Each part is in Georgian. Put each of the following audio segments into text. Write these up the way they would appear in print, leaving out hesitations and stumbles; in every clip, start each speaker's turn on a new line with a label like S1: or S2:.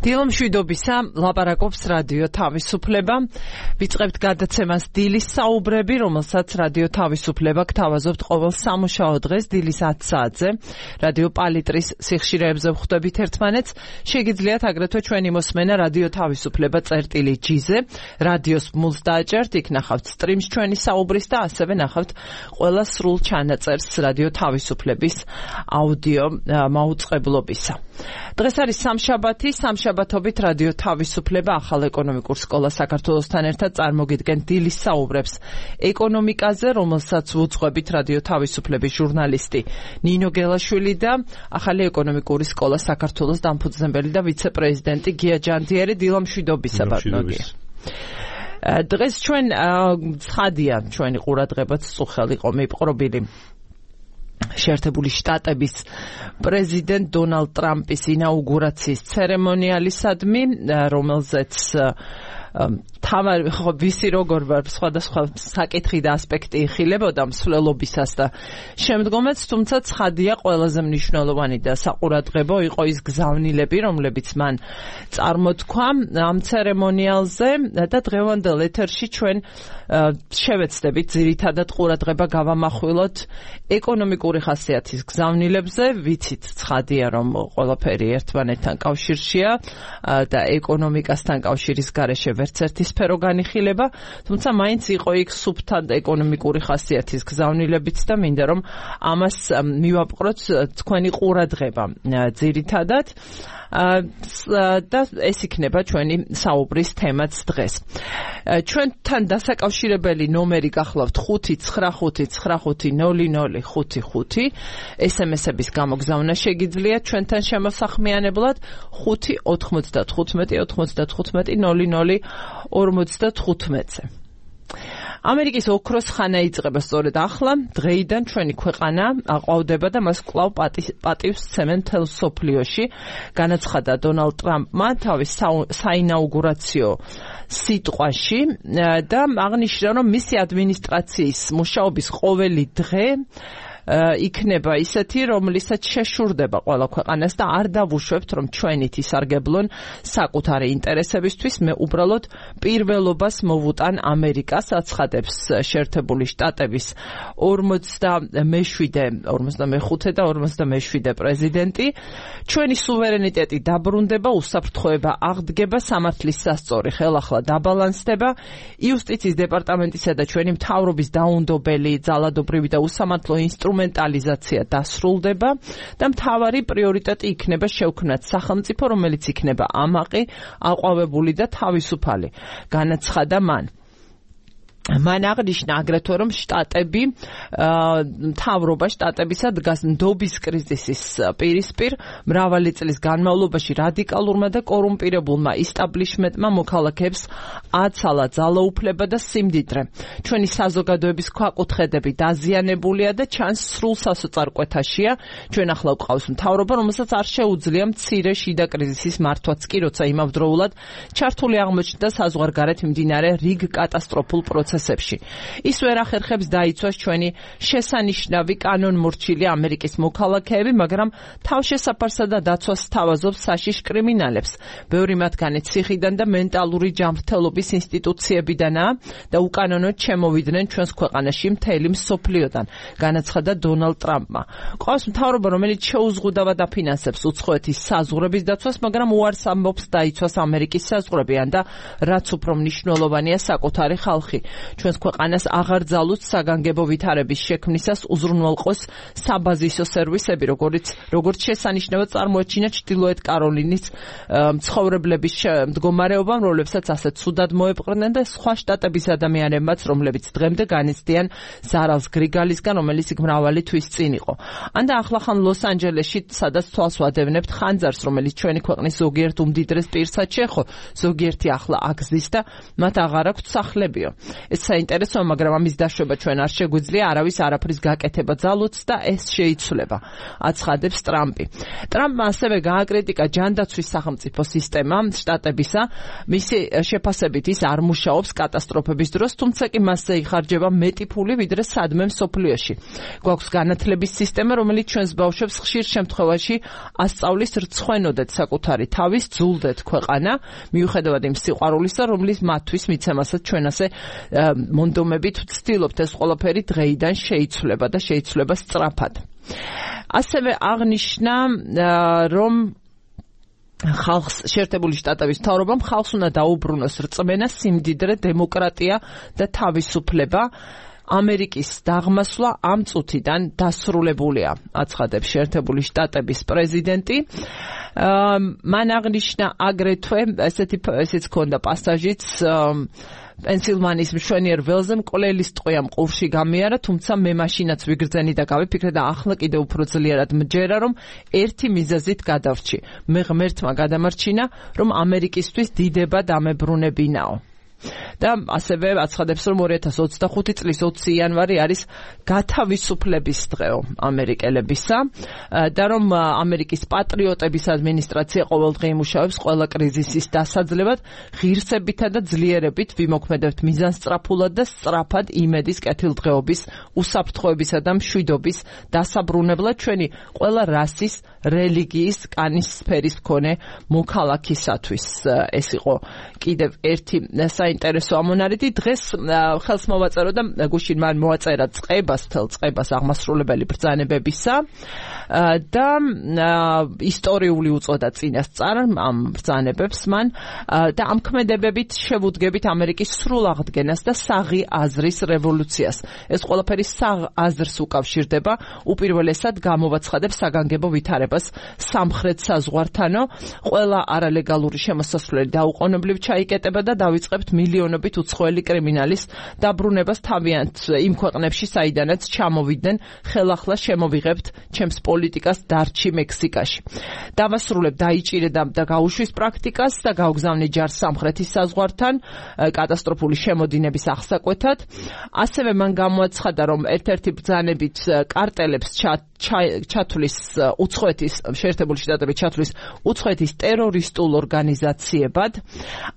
S1: დილომშვიდობისა, ლაპარაკობს რადიო თავისუფლება. ვიწყებთ გადაცემას დილის საუბრები, რომელსაც რადიო თავისუფლება გთავაზობთ ყოველ სამუშაო დღეს დილის 10 საათზე. რადიო პალიტრის სიხშირეებზე ვხვდებით ერთმანეთს. შეგიძლიათ აგრეთვე ჩვენი მოსმენა რადიო თავისუფლება წერტილი-G-ზე. რადიოს მულს დააჭერთ, იქ ნახავთ სტრიმს ჩვენი საუბრის და ასევე ნახავთ ყველა სრულ ჩანაწერს რადიო თავისუფლების აუდიო მაუწყებლობისა. დღეს არის სამშაბათობით რადიო თავისუფლება ახალ ეკონომიკურ სკოლა საქართველოსთან ერთად წარმოგიდგენ დილის საუბრებს ეკონომიკაზე, რომელსაც ვუძღვებით რადიო თავისუფლების ჟურნალისტი ნინო გელაშვილი და ახალი ეკონომიკური სკოლა საქართველოს დამფუძნებელი და ვიცე-პრეზიდენტი გია ჯანდიერი. დილომშვიდობისა ბატონო გია. დღეს ჩვენ ცხადია ჩვენი ყურადღებაც წუხელ იყო მიპყრობილი შეერთებული შტატების პრეზიდენტ დონალდ ტრამპის ინაუგურაციის ცერემონიალისადმი, რომელზეც ვისი როგორ ვარ სხვადასხვა საკითხი და ასპექტი იხილებოდა მსვლელობისას და შემდგომაც, თუმცა ცხადია ყველაზე მნიშვნელოვანი და საყურადღებო იყო ის გზავნილები, რომლებიც მან წარმოთქვა ამ ცერემონიალზე და დღევანდელ ეთერში ჩვენ შევეცდებით ძირითადად ყურადღება გავამახვილოთ ეკონომიკური ხასიათის გზავნილებზე. ვიცით ცხადია, რომ ყველაფერი ერთმანეთთან კავშირშია და ეკონომიკასთან კავშირის გარეშე ვერც ერთი სფერო განიხილება, თუმცა მაინც იყო იქ სუფთა ეკონომიკური ხასიათის გზავნილებიც და მინდა რომ ამას მივაპყროთ თქვენი ყურადღება ძირითადად და ეს იქნება ჩვენი საუბრის თემაც დღეს. ჩვენთან დასაკავშირებელი ნომერი გახლავთ 595900555 SMS-ების გამოგზავნა შეგიძლიათ ჩვენთან შემოსახმიანებლად 595-95-00-55-ზე. ამერიკის ოქროს ხანა იწყება სწორედ ახლა, დღეიდან ჩვენი ქვეყანა აყვავდება და მას კვლავ პატივს სცემენ მთელ მსოფლიოში. განაცხადა დონალდ ტრამპმა თავის საინაუგურაციო სიტყვაში და აღნიშნა, რომ მისი ადმინისტრაციის მუშაობის ყოველი დღე იქნება ისეთი, რომლითაც შეშურდება ყველა ქვეყანას და არ დავუშვებთ, რომ ჩვენით ისარგებლონ საკუთარი ინტერესებისთვის. მე უბრალოდ პირველობას მოვუტან ამერიკას, აცხადებს შეერთებული შტატების 45 და 47 პრეზიდენტი. ჩვენი სუვერენიტეტი დაბრუნდება, უსაფრთხოება აღდგება, სამართლის სასწორი ხელახლა დაბალანსდება, იუსტიციის დეპარტამენტისა და ჩვენი მთავრობის დაუნდობელი, ძალადობრივი და უსამართლო ინსტრუმენტალიზაცია დასრულდება და მთავარი პრიორიტეტი იქნება შევქმნათ სახელმწიფო, რომელიც იქნება ამაყი, აყვავებული და თავისუფალი. განაცხადა მან. მან აღნიშნა აგრეთვე, რომ შტატები, მთავრობა შტატებისა დგას ნდობის კრიზისის პირისპირ. მრავალი წლის განმავლობაში რადიკალურმა და კორუმპირებულმა ისტაბლიშმენტმა მოქალაქეებს აცალა ძალაუფლება და სიმდიდრე. ჩვენი საზოგადოების ქვაკუთხედები დაზიანებულია და ჩანს სრულ სასოწარკვეთაშია. ჩვენ ახლა გვყავს მთავრობა, რომელსაც არ შეუძლია მცირე შიდა კრიზისის მართვაც კი, როცა იმავდროულად ჩართული აღმოჩნდა საზღვარგარეთ მიმდინარე რიგ კატასტროფულ პროცესებში. ის ვერ ახერხებს დაიცვას ჩვენი შესანიშნავი კანონმორჩილი ამერიკის მოქალაქეები, მაგრამ თავშესაფარსა და დაცვას სთავაზობს საშიშ კრიმინალებს. ბევრი მათგანი ციხიდან და მენტალური ჯანმრთელობის ინსტიტუციებიდანაა და უკანონოდ შემოვიდნენ ჩვენს ქვეყანაში მთელი მსოფლიოდან, განაცხადა დონალდ ტრამპმა. ყავს მთავრობა, რომელიც შეუზღუდავად აფინანსებს უცხოეთის საზღვრების დაცვას, მაგრამ უარს ამბობს დაიცვას ამერიკის საზღვრებიან და რაც უფრო მნიშვნელოვანია საკუთარი ხალხი. ჩვენს ქვეყანას აღარ ძალუც საგანგებო ვითარების შექმნისას უზრუნველყოს საბაზისო სერვისები, როგორც შესანიშნავად წარმოაჩინა ჩრდილოეთ კაროლინის მცხოვრებლების მდგომარეობამ, რომლებსაც ასეთ ცუდად მოეპყრნენ და სხვა შტატების ადამიანებმაც, რომლებიც დღემდე განიცდიან ზარალს გრიგალისგან, რომელიც იქ მრავალი თვის წინ იყო. ანდა ახლახან ლოს-ანჯელესში, სადაც თვალს ვადევნებთ ხანძარს, რომელიც ჩვენი ქვეყნის ზოგიერთ უმდიდრეს პირსაც შეეხო, ზოგიერთი ახლა აგზის და მათ აღარ აქვთ სახლებიო. ეს საინტერესოა, მაგრამ ამის დაშვება ჩვენ არ შეგვიძლია, არავის არაფრის გაკეთება ძალუც და ეს შეიცვლება, აცხადებს ტრამპი. ტრამპმა ასევე გააკრიტიკა ჯანდაცვის სახელმწიფო სისტემა შტატებისა, მისი შეფასებით ის არ მუშაობს კატასტროფების დროს, თუმცა კი მასზე იხარჯება მეტი ფული, ვიდრე სადმე მსოფლიოში. გვაქვს განათლების სისტემა, რომელიც ჩვენს ბავშვებს ხშირ შემთხვევაში ასწავლის რცხვენოდეთ საკუთარი თავის, ძულდეთ ქვეყანა, მიუხედავად იმ სიყვარულისა, რომლის მათთვის მიცემასაც ჩვენ ასე მონდომებით ვცდილობთ, ეს ყველაფერი დღეიდან შეიცვლება და შეიცვლება სწრაფად. ასევე აღნიშნა, რომ ხალხს შეერთებული შტატების მთავრობამ ხალხს უნდა დაუბრუნოს რწმენა, სიმდიდრე, დემოკრატია და თავისუფლება. ამერიკის დაღმასვლა ამ წუთიდან დასრულებულია, აცხადებს შეერთებული შტატების პრეზიდენტი. მან აღნიშნა აგრეთვე, ესეც ქონდა პასაჟიც, პენსილვანიის მშვენიერ ველზე მკვლელის ტყვია მყურში გამიარა, თუმცა მე მაშინაც ვიგრძენი და გავიფიქრე და ახლა კიდევ უფრო ძლიერად მჯერა, რომ ერთი მიზეზით გადავრჩი. მე ღმერთმა გადამარჩინა, რომ ამერიკისთვის დიდება დამებრუნებინაო. და ასევე აცხადებს, რომ 2025 წლის 20 იანვარი არის გათავისუფლების დღეო ამერიკელებისა და რომ ამერიკის პატრიოტების ადმინისტრაცია ყოველდღე იმუშავებს ყველა კრიზისის დასაძლევად, ღირსებითა და ძლიერებით ვიმოქმედებთ მიზანსწრაფულად და სწრაფად იმედის კეთილდღეობის, უსაფრთხოებისა და მშვიდობის დასაბრუნებლად ჩვენი ყველა რასის, რელიგიის, კანის სფერის მქონე მოქალაქისათვის. ეს იყო კიდევ ერთი საინტერესო ამონარიდი. დღეს ხელს მოვაწერო და გუშინ მან მოაწერა წყებას აღმასრულებელი ბრძანებებისა და ისტორიული უწოდა წინასწარ ამ ბრძანებებს მან და ამ ქმედებებით შევუდგებით ამერიკის სრულ აღდგენას და საღი აზრის რევოლუციას. ეს ყველაფერი საღ აზრს უკავშირდება, უპირველესად გამოვაცხადებს საგანგებო ვითარებას სამხრეთ საზღვართანო, ყველა არალეგალური შემოსასვლელი დაუყოვნებლივ ჩაიკეტება და დავიწყებთ მილიონობით უცხოელი კრიმინალის დაბრუნებას თავიანთ იმ ქვეყნებში, საიდანაც ჩამოვიდნენ, ხელახლა შემოვიღებთ ჩემს პოლიტიკას დარჩი მექსიკაში. დავასრულებ დაიჭირე და გაუშვის პრაქტიკას და გავგზავნე ჯარს სამხრეთის საზღვართან კატასტროფული შემოდინების აღსაკვეთად. ასევე მან გამოაცხადა, რომ ერთ-ერთი ბრძანებით კარტელებს ჩათვლის უცხოეთის შეერთებული შტატების ჩათვლის უცხოეთის ტერორისტულ ორგანიზაციებად.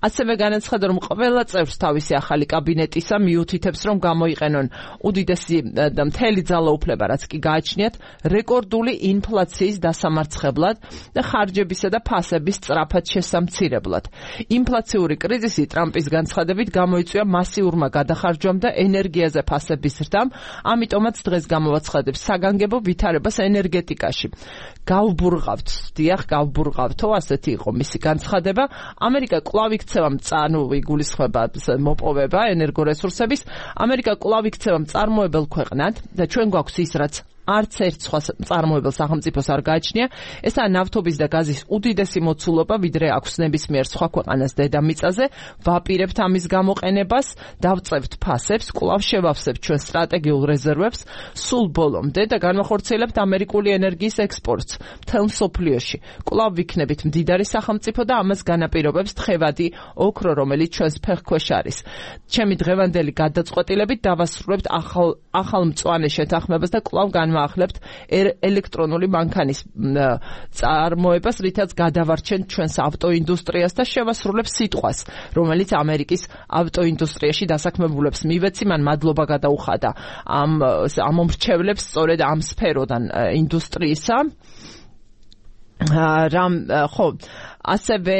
S1: ასევე განაცხადა, რომ ყველა წევრს თავისი ახალი კაბინეტისა მიუთითებს, რომ გამოიყენონ უდიდესი და მთელი ძალაუფლება, რაც კი გააჩნიათ, რეკორდული ინფლაციის დასამარცხებლად და ხარჯებისა და ფასების სწრაფად შესამცირებლად. ინფლაციური კრიზისი ტრამპის განცხადებით გამოიწვია მასიურმა გადახარჯვამ და ენერგიაზე ფასების ზრდამ, ამიტომაც დღეს გამოვაცხადებს საგანგებო ვითარებას ენერგეტიკაში. გავბურღავთო, ასეთი იყო მისი განცხადება. ამერიკა კვლავ იქცევა იგულისხმება მოპოვება ენერგორესურსების. ამერიკა კვლავ იქცევა მწარმოებელ ქვეყნად და ჩვენ გვაქვს ის, რაც არც ერთ სხვა მწარმოებელ სახელმწიფოს არ გააჩნია. ესაა ნავთობის და გაზის უდიდესი მოცულობა, ვიდრე აქვს ნებისმიერ სხვა ქვეყანას დედამიწაზე. ვაპირებთ ამის გამოყენებას, დავწევთ ფასებს, კვლავ შევავსებთ ჩვენ სტრატეგიულ რეზერვებს სულ ბოლომდე და განვახორციელებთ ამერიკული ენერგიის ექსპორტს მთელ მსოფლიოში. კვლავ ვიქნებით მდიდარი სახელმწიფო და ამას განაპირობებს თხევადი ოქრო, რომელიც ჩვენს ფეხქვეშ არის. ჩემი დღევანდელი გადაწყვეტილებით დავასრულებთ ახალ მწვანე შეთანხმებას და კვლავ ახლებთ ელექტრონული მანქანის წარმოებას, რითაც გადავარჩენთ ჩვენს ავტოინდუსტრიას და შევასრულებს სიტყვას, რომელიც ამერიკის ავტოინდუსტრიაში დასაქმებულებს მივეცი, მან მადლობა გადაუხადა ამ მომრჩევლებს სწორედ ამ სფეროდან ინდუსტრიისა. ასევე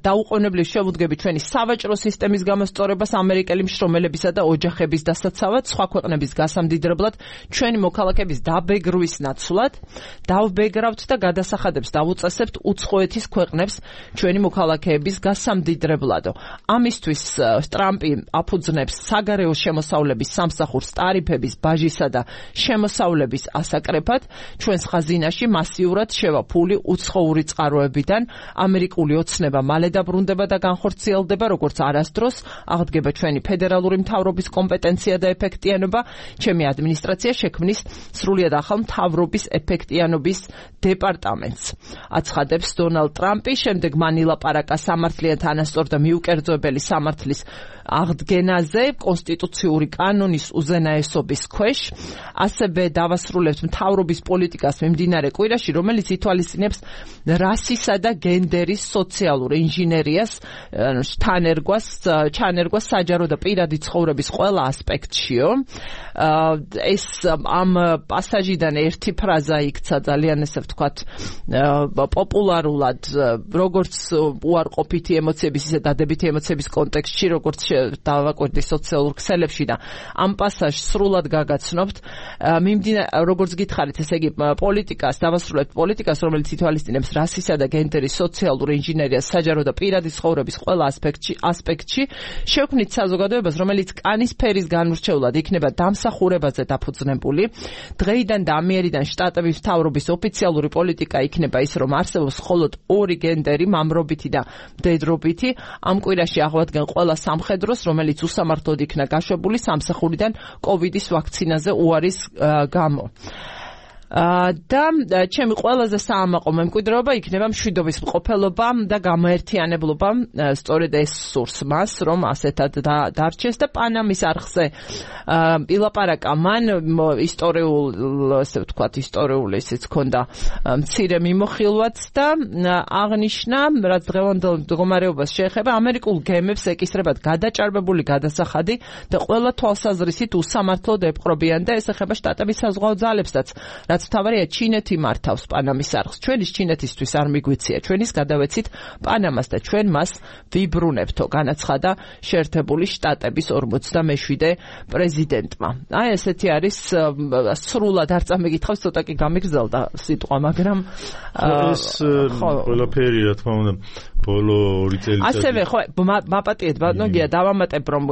S1: დაუყოვნებლივ შევუდგებით ჩვენი სავაჭრო სისტემის გამოსწორებას ამერიკელი მშრომელებისა და ოჯახების დასაცავად, სხვა ქვეყნების გასამდიდრებლად, ჩვენი მოქალაქეების დაბეგრვის ნაცვლად, დავბეგრავთ და გადასახადებს დავუწესებთ უცხოეთის ქვეყნებს ჩვენი მოქალაქეების გასამდიდრებლადო. ამისთვის ტრამპი აფუძნებს საგარეო შემოსავლების სამსახურს ტარიფების, ბაჟისა და შემოსავლების ასაკრეფად, ჩვენს ხაზინაში მასიურად შევა ფული უცხოური წყაროებიდან. ამერიკული ოცნება მალე დაბრუნდება და განხორციელდება, როგორც არასდროს აღდგება ჩვენი ფედერალური მთავრობის კომპეტენცია და ეფექტიანობა. ჩემი ადმინისტრაცია შექმნის სრულიად ახალ მთავრობის ეფექტიანობის დეპარტამენტს, აცხადებს დონალდ ტრამპი. შემდეგ მან ილაპარაკა სამართლიან თანასწორ და მიუკერძოებელი სამართლის აღდგენაზე კონსტიტუციური კანონის უზენაესობის ქვეშ, ასევე დავასრულებთ მთავრობის პოლიტიკას მიმდინარე კვირაში, რომელიც ითვალისწინებს რასისა და გენდერის სოციალურ ინჟინერიას ჩანერგვას საჯარო და პირადი ცხოვრების ყველა ასპექტშიო. ეს ამ პასაჟიდან ერთი ფრაზა იქცა ძალიან ესე ვთქვათ პოპულარულად, როგორც უარყოფითი ემოციების, ისე დადებითი ემოციების კონტექსტში, როგორც დავაკვირდი სოციალურ ქსელებში და ამ პასაჟს სრულად გაგაცნობთ. როგორც გითხარით, ესე იგი პოლიტიკას, დავასრულებთ პოლიტიკას, რომელიც ითვალისწინებს რასისა და გენდერის სოციალურ ინჟინერიას საჯარო და პირადი ცხოვრების ყველა ასპექტში, შევქმნით საზოგადოებას, რომელიც კანის ფერის განმრჩევლად იქნება დამსახურებაზე დაფუძნებული. დღეიდან და ამიერიდან შტატების მთავრობის ოფიციალური პოლიტიკა იქნება ის, რომ არსებობს მხოლოდ ორი გენდერი, მამრობითი და მდედრობითი. ამ კვირაში აღვადგენ ყველა სამხედროს, რომელიც უსამართლოდ იქნა გაშვებული სამსახურიდან კოვიდის ვაქცინაზე უარის გამო. და ჩემი ყველაზე საამაყო მემკვიდრეობა იქნება მშვიდობის მყოფელობა და გამოერთიანებლობა. სწორედ ეს სურს მას, რომ ასეთად დარჩეს და პანამის არხზე ილაპარაკა მან ისტორიული ისიც ქონდა მცირე მიმოხილვაც და აღნიშნა, რაც დღევანდელ მდგომარეობას შეეხება, ამერიკულ გემებს ეკისრებათ გადაჭარბებული გადასახადი და ყველა თვალსაზრისით უსამართლოდ ეპყრობიან და ეს ეხება შტატების საზღვაო ძალებსაც, რაც თავარია ჩინეთი მართავს პანამის არხს. ჩვენის ჩინეთისთვის არ მიგვიცია, ჩვენის გადავეცით პანამას და ჩვენ მას ვიბრუნებთო, განაცხადა შეერთებული შტატების 47 პრეზიდენტმა. აი ესეთი არის, სრულად არ წამიგითხავს, ცოტა კი გამიგზელდა სიტყვა, მაგრამ
S2: ეს ყველაფერი რა თქმა უნდა ბოლო 2 წელიწადში.
S1: ასევე ხო, მაპატიეთ ბატონია, დავამატებ, რომ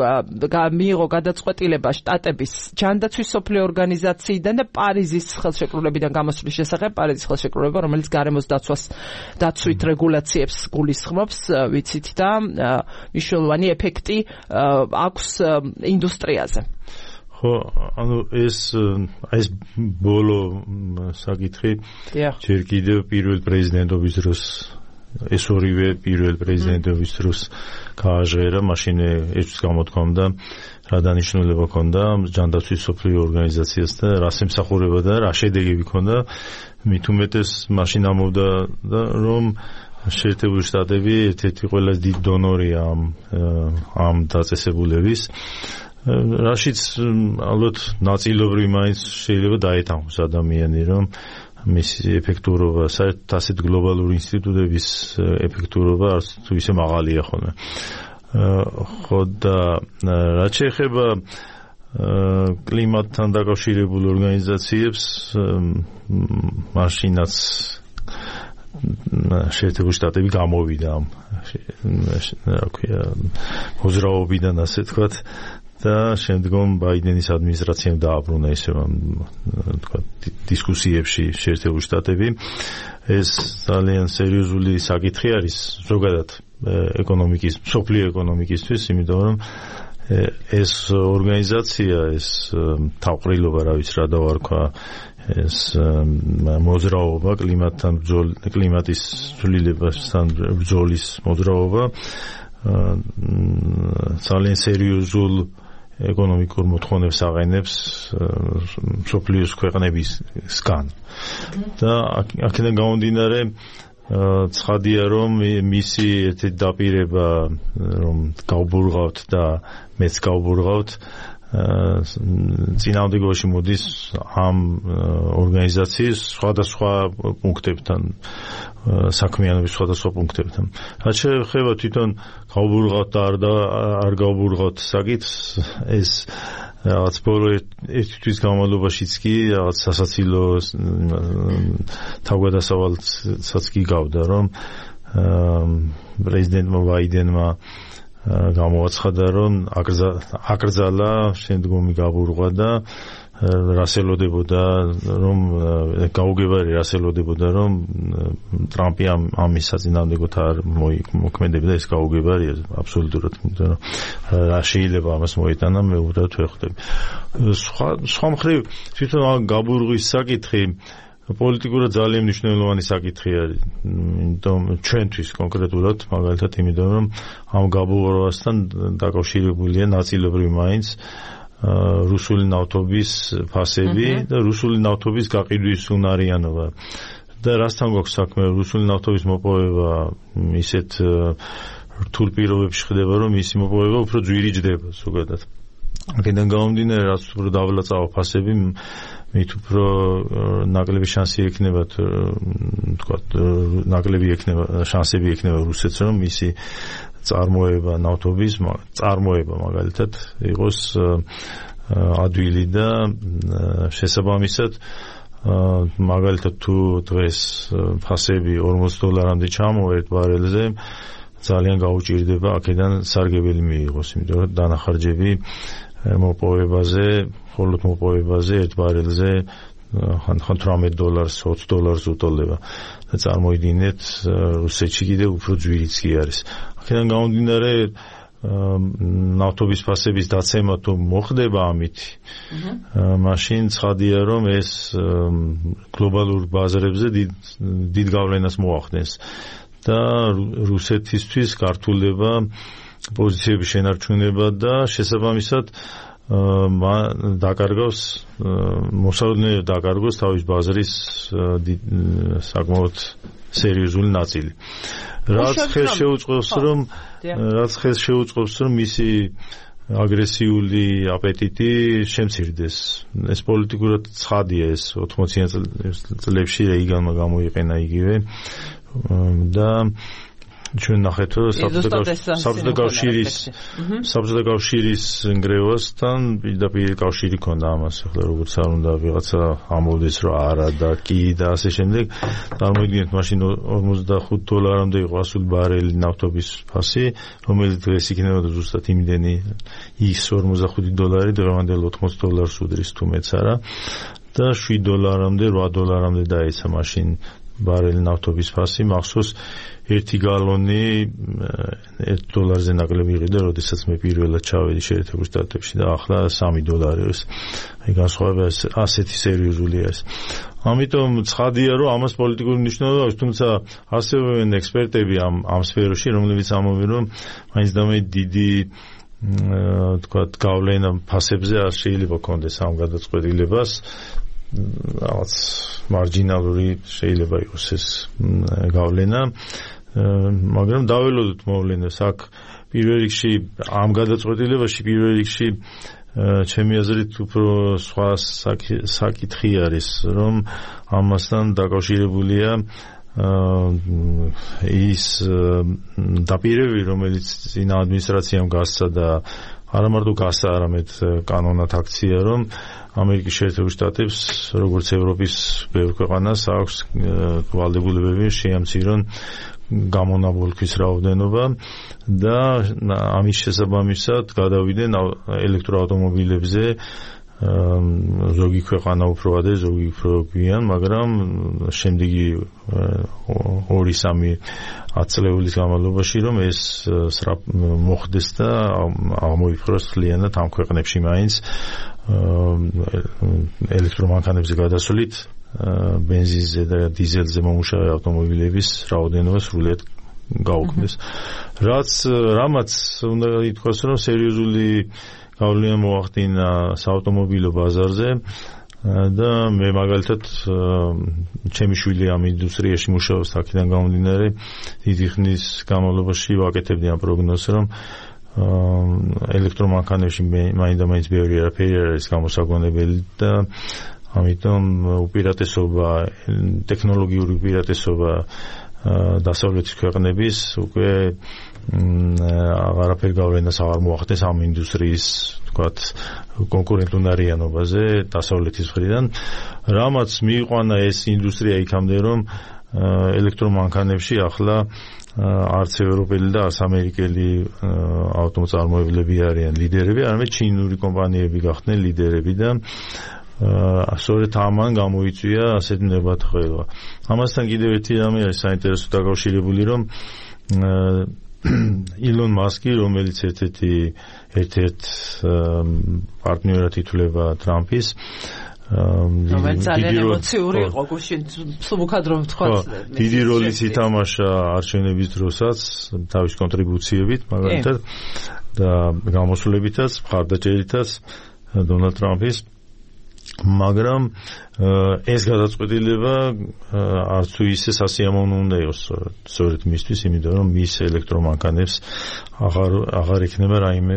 S1: მიიღო გადაწყვეტილება შტატების ჯანდაცვის სოფლიო ორგანიზაციიდან და პარიზის ხელშეკრულებიდან გამოსვლის შესახებ, პარიზის ხელშეკრულება, რომელიც გარემოს დაცვით რეგულაციებს გულისხმობს, ვიცით და მნიშვნელოვანი ეფექტი აქვს ინდუსტრიაზე.
S2: ხო, ანუ ეს ბოლო საკითხი ჯერ კიდევ პირველ პრეზიდენტობის დროს ეს ორივე პირველ პრეზიდენტობის დროს გააჟღერა, მაშინ ერთის გამოთქვამდა რა დანიშნულება ჰქონდა ჯანდაცვის სოფლიო ორგანიზაციას და რა ემსახურება და რა შედეგები ჰქონდა. მით უმეტეს მაშინ ამბობდა, რომ შეერთებული შტატები ერთ-ერთი ყველაზე დიდი დონორია ამ დაწესებულების, რაშიც ალბათ ნაწილობრივ მაინც შეიძლება დაეთანხმოს ადამიანი, რომ მისი ეფექტურობა, საერთოდ ასეთ გლობალური ინსტიტუტების ეფექტურობა არც თუ ისე მაღალია ხოლმე. ხო და რაც შეეხება კლიმატთან დაკავშირებულ ორგანიზაციებს, მაშინაც შეერთებული შტატები გამოვიდა ამ მოძრაობიდან, ასე თქვათ, და შემდგომ ბაიდენის ადმინისტრაციამ დააბრუნა ისე თქვა დისკუსიებში შეერთებული შტატები. ეს ძალიან სერიოზული საკითხი არის ზოგადად სოფლიო ეკონომიკისთვის, იმიტომ რომ ეს ორგანიზაცია, ეს თავყრილობა, რა ვიცი რა დავარქვა, ეს მოძრაობა, კლიმატის ცვლილებასთან ბრძოლის მოძრაობა ძალიან სერიოზულ ეკონომიკურ მოთხოვნებს აყენებს მსოფლიოს ქვეყნებისგან. და აქედან გამომდინარე, ცხადია, რომ მისი ერთი დაპირება, რომ გავბურღავთ და მეც გავბურღავთ, წინააღმდეგობაში მოდის ამ ორგანიზაციის სხვადასხვა პუნქტებთან, საქმიანობის სხვადასხვა პუნქტებთან. რაც შეეხება თვითონ გავბურღავთ და არ გავბურღავთ საკითხს, ეს რაღაც ბოლო ერთი თვის განმავლობაშიც კი რაღაც სასაცილო თავგადასავალსაც კი გავდა, რომ პრეზიდენტმა ბაიდენმა გამოაცხადა, რომ აკრძალა შემდგომი გაბურღვა და რასელოდებოდა, რომ გაუგებარი რასელოდებოდა, რომ ტრამპი ამის საწინააღმდეგოდ არ მოქმედებდა. ეს გაუგებარია აბსოლუტურად, იმიტომ რომ რა შეიძლება ამას მოიტანა, მე უბრალოდ ვეხვდები. სხვა მხრივ თვითონ გაბურღვის საკითხი პოლიტიკურად ძალიან მნიშვნელოვანი საკითხი არის. იმიტომ ჩვენთვის კონკრეტულად, მაგალითად, იმიტომ რომ ამ გაბოლოებასთან დაკავშირებულია ნაწილობრივ მაინც რუსული ნავთობის ფასები და რუსული ნავთობის გაყიდვის უნარიანობა. და რასთან გვაქვს საქმე, რუსული ნავთობის მოპოვება ისეთ რთულ პირობებში ხდება, რომ მისი მოპოვება უფრო ძვირი ჯდება ზოგადად. აქედან გამომდინარე, რაც უფრო დავლაწავა ფასები, მით უფრო ნაკლები შანსი ექნება, თქვათ, ნაკლები ექნება, შანსები ექნება რუსეთს, რომ მისი წარმოება ნავთობის, წარმოება მაგალითად იყოს ადვილი და შესაბამისად მაგალითად თუ დღეს ფასები $40 ჩამოვა ერთ ბარელზე, ძალიან გაუჭირდება აქედან სარგებელი მიიღოს, იმიტომ რომ დანახარჯები მოპოვებაზე, მხოლოდ მოპოვებაზე ერთ ბარელზე ხან $18, $20 უტოლდება და წარმოიდგინეთ რუსეთში კიდევ უფრო ძვირიც კი არის. აქედან გამომდინარე ნავთობის ფასების დაცემა თუ მოხდება ამით, მაშინ ცხადია რომ ეს გლობალურ ბაზრებზე დიდ გავლენას მოახდენს და რუსეთისთვის გართულდება პოზიციების შენარჩუნება და შესაბამისად დაკარგავს მოსაოდნელად დაკარგოს თავის ბაზრის საკმაოდ სერიოზული ნაწილი. რაც ხელს შეუწყობს რომ მისი აგრესიული აპეტიტი შემცირდეს. ეს პოლიტიკურად ცხადია, ეს 80-იან წლებში რეიგანმა გამოიყენა იგივე და ჩვენ ნახეთ რომ საბჭოთა კავშირის ნგრევასთან პირდაპირ კავშირი ქონდა ამას, ახლა როგორც არ უნდა ვიღაცა ამოვიდეს რომ არა და კი და ასე შემდეგ. წარმოიდგინეთ, მაშინ $45-მდე იყო 100 ბარელი ნავთობის ფასი, რომელიც დღეს იქნებოდა ზუსტად იმდენი ის $45, დღევანდელ $80 უდრის თუ მეც არა და $7-მდე, $8-მდე დაეცა მაშინ ბარელი ნავთობის ფასი, მახსოვს ერთი გალონი $1-ზე ნაკლები იყიდა, როდესაც მე პირველად ჩავედი შეერთებულ შტატებში და ახლა $3 არის. აი განსხვავება ასეთი სერიოზულია ეს. ამიტომ ცხადია, რომ ამას პოლიტიკური მნიშვნელობა აქვს, თუმცა არსებობენ ექსპერტები ამ სფეროში, რომლებიც ამბობენ, რომ მაინც და მე დიდი თქვათ გავლენა ფასებზე არ შეიძლება კონდეს ამ გადაწყვეტილებას. რაღაც მარჯინალური შეიძლება იყოს ეს გავლენა, მაგრამ დაველოდოთ მოვლენებს. აქ პირველ რიგში ამ გადაწყვეტილებაში პირველ რიგში ჩემი აზრით უფრო სხვა საკითხი არის, რომ ამასთან დაკავშირებულია ის დაპირებები, რომელიც წინა ადმინისტრაციამ გასცა და არა მარტო გასცა, არამედ კანონად აქცია, რომ ამერიკის შეერთებულ შტატებს, როგორც ევროპის ბევრ ქვეყანას აქვს ვალდებულებები შეამცირონ გამონაბოლქვის რაოდენობა და ამის შესაბამისად გადავიდნენ ელექტროავტომობილებზე, ზოგი ქვეყანა უფრო ადრე, ზოგი უფრო გვიან, მაგრამ შემდეგი 2-3 ათწლეულის განმავლობაში რომ ეს მოხდეს და აღმოიფხვრას მთლიანად ამ ქვეყნებში მაინც ელექტრომანქანებზე გადასვლით ბენზინზე და დიზელზე მომუშავე ავტომობილების რაოდენობა სრულიად გაუქმდეს. რამაც უნდა ითქვას, რომ სერიოზული გავლენა მოახდინა საავტომობილო ბაზარზე და მე მაგალითად ჩემი შვილი ამ ინდუსტრიაში მუშაობს, აქედან გამომდინარე დიდი ხნის განმავლობაში ვაკეთებდი ამ პროგნოზს, რომ ელექტრომანქანებში მაინდა-მაინც ბევრი არაფერი არის გამოსაგონებელი და ამიტომ უპირატესობა, ტექნოლოგიური უპირატესობა დასავლეთის ქვეყნების უკვე აღარაფერ გავლენას აღარ მოახდენს ამ ინდუსტრიის, თქვათ, კონკურენტუნარიანობაზე დასავლეთის მხრიდან. რამაც მიიყვანა ეს ინდუსტრია იქამდე, რომ ელექტრომანქანებში ახლა არც ევროპელი და არც ამერიკელი ავტომოწარმოებლები არიან ლიდერები, არამედ ჩინური კომპანიები გახდნენ ლიდერები და სწორედ ამან გამოიწვია ასეთ ნებათხოვება. ამასთან კიდევ ერთი რამე არის საინტერესო დაკავშირებული, რომ ილონ მასკი, რომელიც ერთ-ერთ პარტნიორად ითვლება ტრამპის,
S1: ძალიან ემოციური იყო გუშინ სუბუქად რომ ვთქვა
S2: დიდი როლის ითამაშა არჩევნების დროსაც თავის კონტრიბუციებით მაგალითად და გამოსვლებითაც მხარდაჭერითაც დონალდ ტრამპის მაგრამ ეს გადაწყვეტილება არც თუ ისე სასიამოვნო უნდა იყოს სწორედ მისთვის იმიტომ რომ მის ელექტრომანქანებს აღარ იქნება რაიმე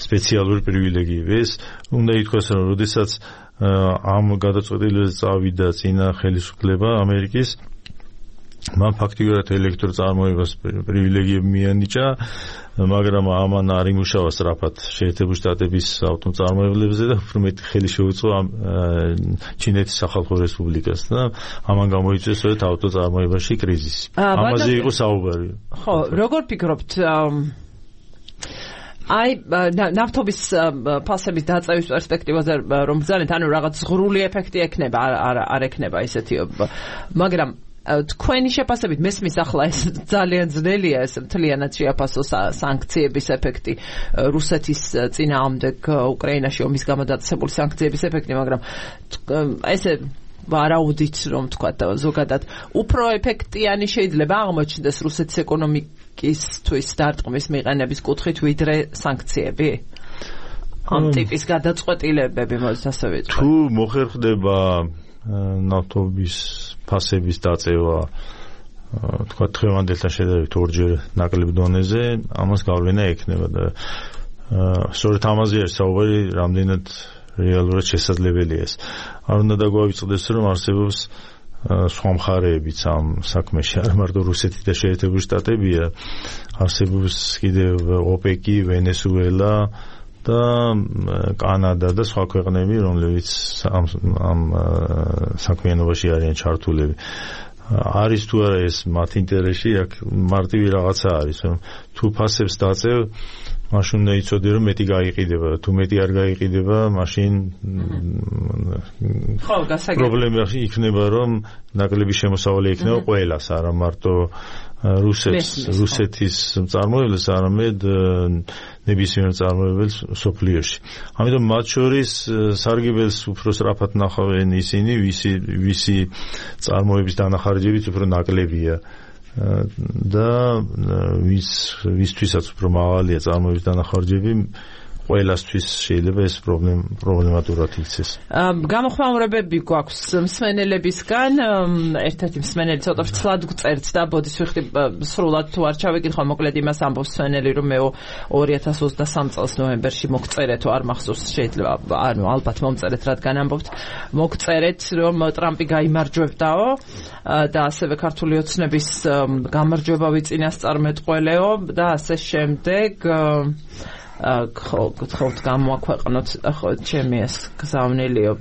S2: სპეციალური პრივილეგიები ეს უნდა ითქვას რომ როდესაც ამ გადაწყვეტილებაზე წავიდა წინა ხელისუფლება ამერიკის მან ფაქტიურად ელექტროწარმოებას პრივილეგიები მიანიჭა მაგრამ ამან არ იმუშავა სწრაფად შეერთებული შტატების ავტომწარმოებლებზე და უფრო მეტი ხელი შეუწყო ჩინეთის სახალხო რესპუბლიკას და ამან გამოიწვია სწორედ ავტოწარმოებაში კრიზისი ამაზე იყო საუბარი
S1: ხო როგორ ფიქრობთ აი ნავთობის ფასების დაწევის პერსპექტივაზე რომ ბრძანეთ ანუ რაღაც ზღვრული ეფექტი ექნება არ ექნება ისეთი მაგრამ თქვენი შეფასებით მესმის ახლა ეს ძალიან ძნელია ეს მთლიანად შეაფასო სანქციების ეფექტი რუსეთის წინააღმდეგ უკრაინაში ომის გამო დაწესებული სანქციების ეფექტი მაგრამ ესე ვარაუდით რომ თქვა ზოგადად უფრო ეფექტიანი შეიძლება აღმოჩნდეს რუსეთის ეკონომიკისთვის დარტყმის მიყენების კუთხით ვიდრე სანქციები ამ ტიპის გადაწყვეტილებები მოძ ასე ვიტყვი
S2: თუ მოხერხდება ნავთობის ფასების დაწევა თქვა დღევანდელთან შედარებით ორჯერ ნაკლებ დონეზე ამას გავლენა ექნება და სწორედ ამაზე არის საუბარი რამდენად რეალურად შესაძლებელია ეს არ უნდა დაგვავიწყდეს რომ არსებობს სხვა მხარეებიც ამ საქმეში არ მარტო რუსეთი და შეერთებული შტატებია არსებობს კიდევ ოპეკი ვენესუელა და კანადა და სხვა ქვეყნები რომლებიც ამ საქმიანობაში არიან ჩართულები არის თუ არა ეს მათ ინტერესში აქ მარტივი რაღაცა არის რომ თუ ფასებს დაწევ მაშინ უნდა იცოდე რომ მეტი გაიყიდება თუ მეტი არ გაიყიდება მაშინ პრობლემა იქნება რომ ნაკლები შემოსავალი იქნება ყველას არა მარტო რუსეთის მწარმოებელს არამედ ნებისმიერ მწარმოებელს სოფლიოში. ამიტომ მათ შორის სარგებელს უფრო სწრაფად ნახავენ ისინი, ვისი წარმოების დანახარჯებიც უფრო ნაკლებია და ვისთვისაც უფრო მაღალია წარმოების დანახარჯები ყველასთვის შეიძლება ეს პრობლემატურად იქცეს.
S1: გამოხმაურებები გვაქვს მსმენელებისგან, ერთ-ერთი მსმენელი ცოტა ფრთხლად გწერთ და ბოდის ვიხდი სრულად თუ არ ჩავიკითხო, მოკლედ იმას ამბობს მსმენელი, რომ მე 2023 წელს ნოემბერში მოგწერეთ, არ მახსოვს, შეიძლება, ანუ ალბათ მომწერეთ, რადგან ამბობთ, მოგწერეთ, რომ ტრამპი გაიმარჯვებდაო და ასევე ქართული ოცნების გამარჯვება ვიწინასწარმეტყველეო და ასე შემდეგ გთხოვთ გამოაქვეყნოთ ხო ჩემი ეს გზავნილიო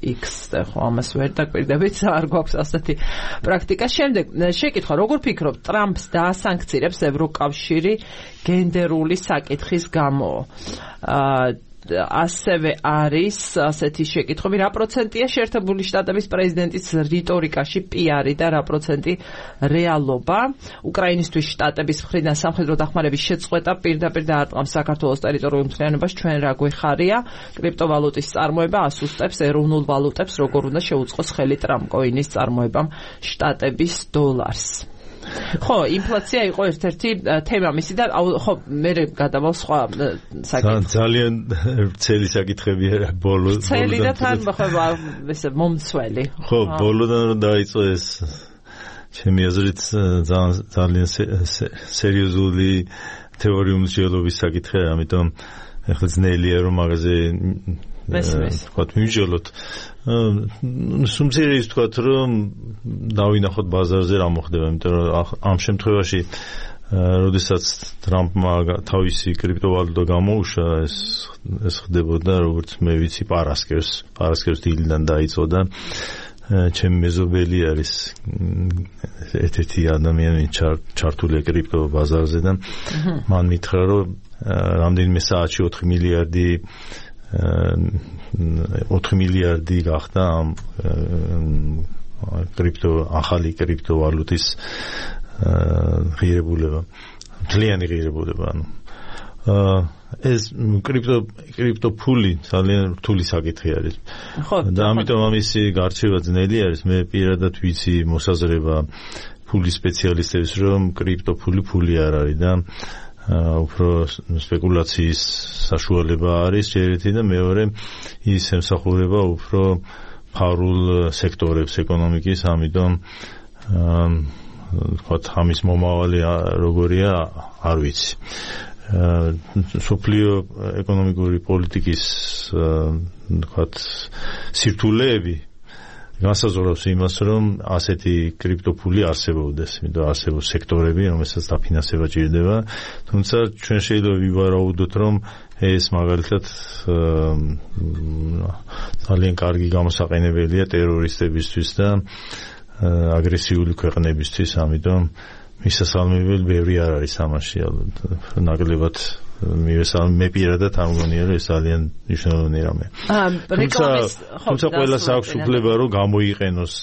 S1: X და ხო ამას ვერ დაკვირდებით არ გვაქვს ასეთი პრაქტიკა შემდეგ შეკითხვა როგორ ფიქრობთ ტრამპს დაასანქცირებს ევროკავშირი გენდერული საკითხის გამო ასევე არის ასეთი შეკითხვები რა პროცენტია შეერთებული შტატების პრეზიდენტის რიტორიკაში პიარი და რა პროცენტი რეალობა უკრაინისთვის შტატების მხრიდან სამხედრო დახმარების შეწყვეტა პირდაპირ დაარტყამს საქართველოს ტერიტორიულ მთლიანობას ჩვენ რა გვეხარია კრიპტოვალუტის წარმოება ასუსტებს ეროვნულ ვალუტებს როგორ უნდა შეუწყოს ხელი ტრამპკოინის წარმოებამ შტატების დოლარს ხო, ინფლაცია იყო ერთ-ერთი თემა მისი და ხო, მე გადავალ სხვა საკითხი.
S2: ძალიან ცელი საკითხებია ბოლო.
S1: ცელი და თან ხო ესე მომცველი.
S2: ხო, ბოლოდან რომ დაიწყო ეს ჩემი აზრით ძალიან სერიოზული თეორიული მსჯელობის საკითხია, ამიტომ ახლა ძნელია რომ მაგაზე ვთქვათ მივიჯელოთ სუმცირე ის ვთქვათ რომ დავინახოთ ბაზარზე რა მოხდება იმიტომ რომ ამ შემთხვევაში როდესაც ტრამპმა თავისი კრიპტოვალუტა გამოუშვა ეს ხდებოდა როგორც მე ვიცი პარასკევს დილიდან დაიწყო და ჩემი მეზობელი არის ერთ-ერთი ადამიანი ჩართულია კრიპტო ბაზარზე და მან მითხრა რომ რამდენიმე საათში 4 მილიარდი გახდა ამ ახალი კრიპტოვალუტის ღირებულება, მთლიანი ღირებულება. ეს კრიპტო ფული ძალიან რთული საკითხი არის. და ამიტომ ამისი გარჩევა ძნელი არის. მე პირადად ვიცი მოსაზრება ფულის სპეციალისტების, რომ კრიპტო ფული არ არის და უფრო სპეკულაციის საშუალება არის ერთი და მეორე ის ემსახურება უფრო ფარულ სექტორებს ეკონომიკის, ამიტომ ამის მომავალი როგორია არ ვიცი. სოფლიო ეკონომიკური პოლიტიკის სირთულეები განსაზღვრავს იმას, რომ ასეთი კრიპტოფული არსებობდეს, იმიტომ არსებობს სექტორები, რომელსაც დაფინანსება ჭირდება, თუმცა ჩვენ შეიძლება ვივარაუდოთ, რომ ეს მაგალითად ძალიან კარგი გამოსაყენებელია ტერორისტებისთვის და აგრესიული ქვეყნებისთვის, ამიტომ მისასალმებელი ბევრი არ არის ამაში, ნაკლებად მე პირადად არ მგონია, რომ ეს ძალიან მნიშვნელოვანი რამე. თუმცა ყველას აქვს უფლება, რომ გამოიყენოს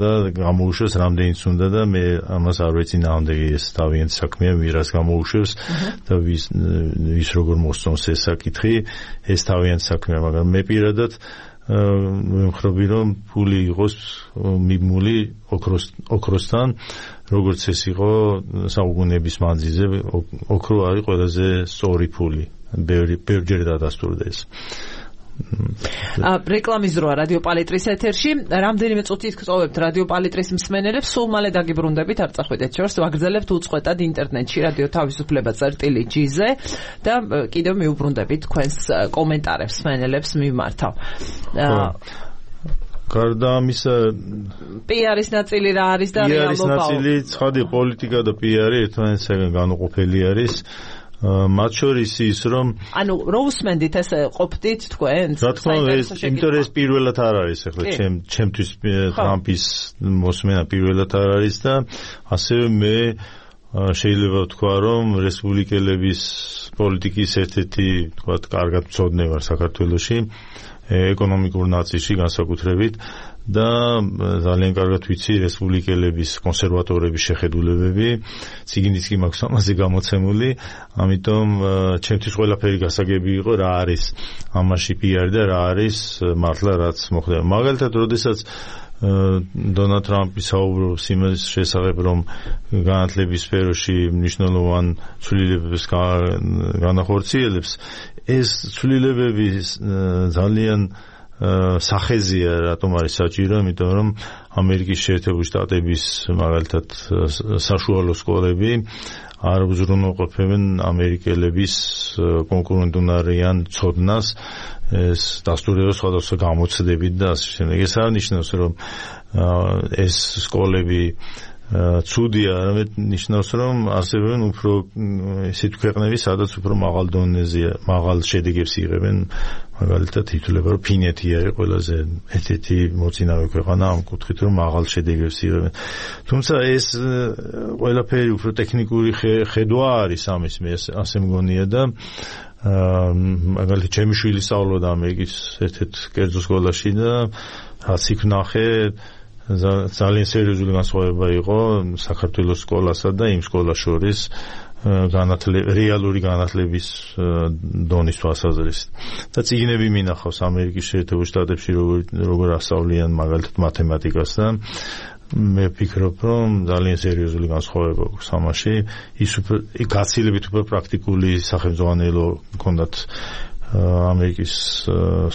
S2: და გამოუშვეს რამდენიც უნდა და მე ამას არ ვიცი ნამდვილი ეს თავიანთ საქმეა, ვირას გამოუშვეს და ვის როგორ მოსწონს ეს საკითხი, ეს თავიანთ საქმეა, მაგრამ მე პირადად ვიმხრობი, რომ ფული იყოს მიბმული ოქროსთან, როგორც ეს იყო საუკუნეების მანძილზე, ოქრო არის ყველაზე სწორი ფული. ბევრჯერ დადასტურდა ეს.
S1: რეკლამის დროა რადიო პალიტრის ეთერში. რამდენიმე წუთით გწოვებთ რადიო პალიტრის მსმენელებს, სულ მალე დაგიბრუნდებით, არ წახვიდეთ შორს, ვაგრძელებთ უწყვეტად ინტერნეტში რადიო თავისუფლება.gz-ზე და კიდევ მიუბრუნდებით თქვენს კომენტარებს მსმენელებს მიმართავ.
S2: გარდა ამისა,
S1: PR-ის ნაწილი რა არის და რეალობა?
S2: PR-ის ნაწილი ცხადი პოლიტიკა და PR-ი ერთმანეთისგან განუყოფელი არის. მათ შორის ის, რომ
S1: რო უსმენდით ესე ყოფდით თქვენ?
S2: რა თქმა უნდა, იმიტომ ეს პირველად არ არის, ახლა ჩემთვის ტრამპის მოსმენა პირველად არ არის და ასევე მე შეიძლება ვთქვა, რომ რესპუბლიკელების პოლიტიკის ერთ-ერთი, თქვათ, კარგად მცოდნე ვარ საქართველოში, ეკონომიკურ ნაწილში განსაკუთრებით და ძალიან კარგად ვიცი რესპუბლიკელების, კონსერვატორების შეხედულებები, ციგნიც კი მაქვს ამაზე გამოცემული, ამიტომ ჩემთვის ყველაფერი გასაგები იყო რა არის ამაში PR და რა არის მართლა რაც მოხდება. მაგალითად, როდესაც დონალდ ტრამპი საუბრობს იმის შესახებ, რომ განათლების სფეროში მნიშვნელოვან ცვლილებებს განახორციელებს, ეს ცვლილებები ძალიან სახეზია, რატომ არის საჭირო, იმიტომ რომ ამერიკის შეერთებული შტატების მაგალითად საშუალო სკოლები არ უზრუნველყოფენ ამერიკელების კონკურენტუნარიან ცოდნას, ეს დასტურდება სხვადასხვა გამოცდებით და ასე შემდეგ. ეს არ ნიშნავს, რომ ეს სკოლები ცუდია, არამედ ნიშნავს, რომ არსებობენ უფრო ისეთი ქვეყნები, სადაც უფრო მაღალ დონეზეა, მაღალ შედეგებს იღებენ, მაგალითად ითვლება, რომ ფინეთი არის ყველაზე ერთ-ერთი მოწინავე ქვეყანა ამ კუთხით, რომ მაღალ შედეგებს იღებენ. თუმცა ეს ყველაფერი უფრო ტექნიკური ხედვა არის ამის, მე ასე მგონია და მაგალითად ჩემი შვილი სწავლობდა ამერიკის ერთ-ერთ კერძო სკოლაში და რაც იქ ვნახე, ძალიან სერიოზული განსხვავება იყო საქართველოს სკოლასა და იმ სკოლას შორის რეალური განათლების დონის თვალსაზრისით. და წიგნები მინახავს ამერიკის შეერთებულ შტატებში როგორ ასწავლიან მაგალითად მათემატიკას და მე ვფიქრობ, რომ ძალიან სერიოზული განსხვავება აქვს ამაში. ის გაცილებით უფრო პრაქტიკული სახელმძღვანელო ჰქონდათ ამერიკის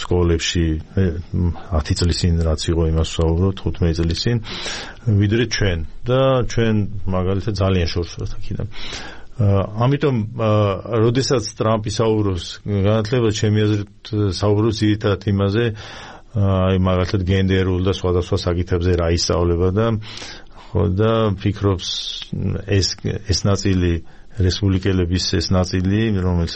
S2: სკოლებში 10 წლის წინ რაც იყო იმას ვსაუბრობ 15 წლის წინ ვიდრე ჩვენ და ჩვენ მაგალითად ძალიან შორს ვართ აქედან. ამიტომ როდესაც ტრამპი საუბრობს განათლება, ჩემი აზრით საუბრობს ძირითადად იმაზე, აი მაგალითად გენდერულ და სხვადასხვა საკითხებზე რა ისწავლება და ფიქრობს ეს ნაწილი რესპუბლიკელების ეს ნაწილი, რომლის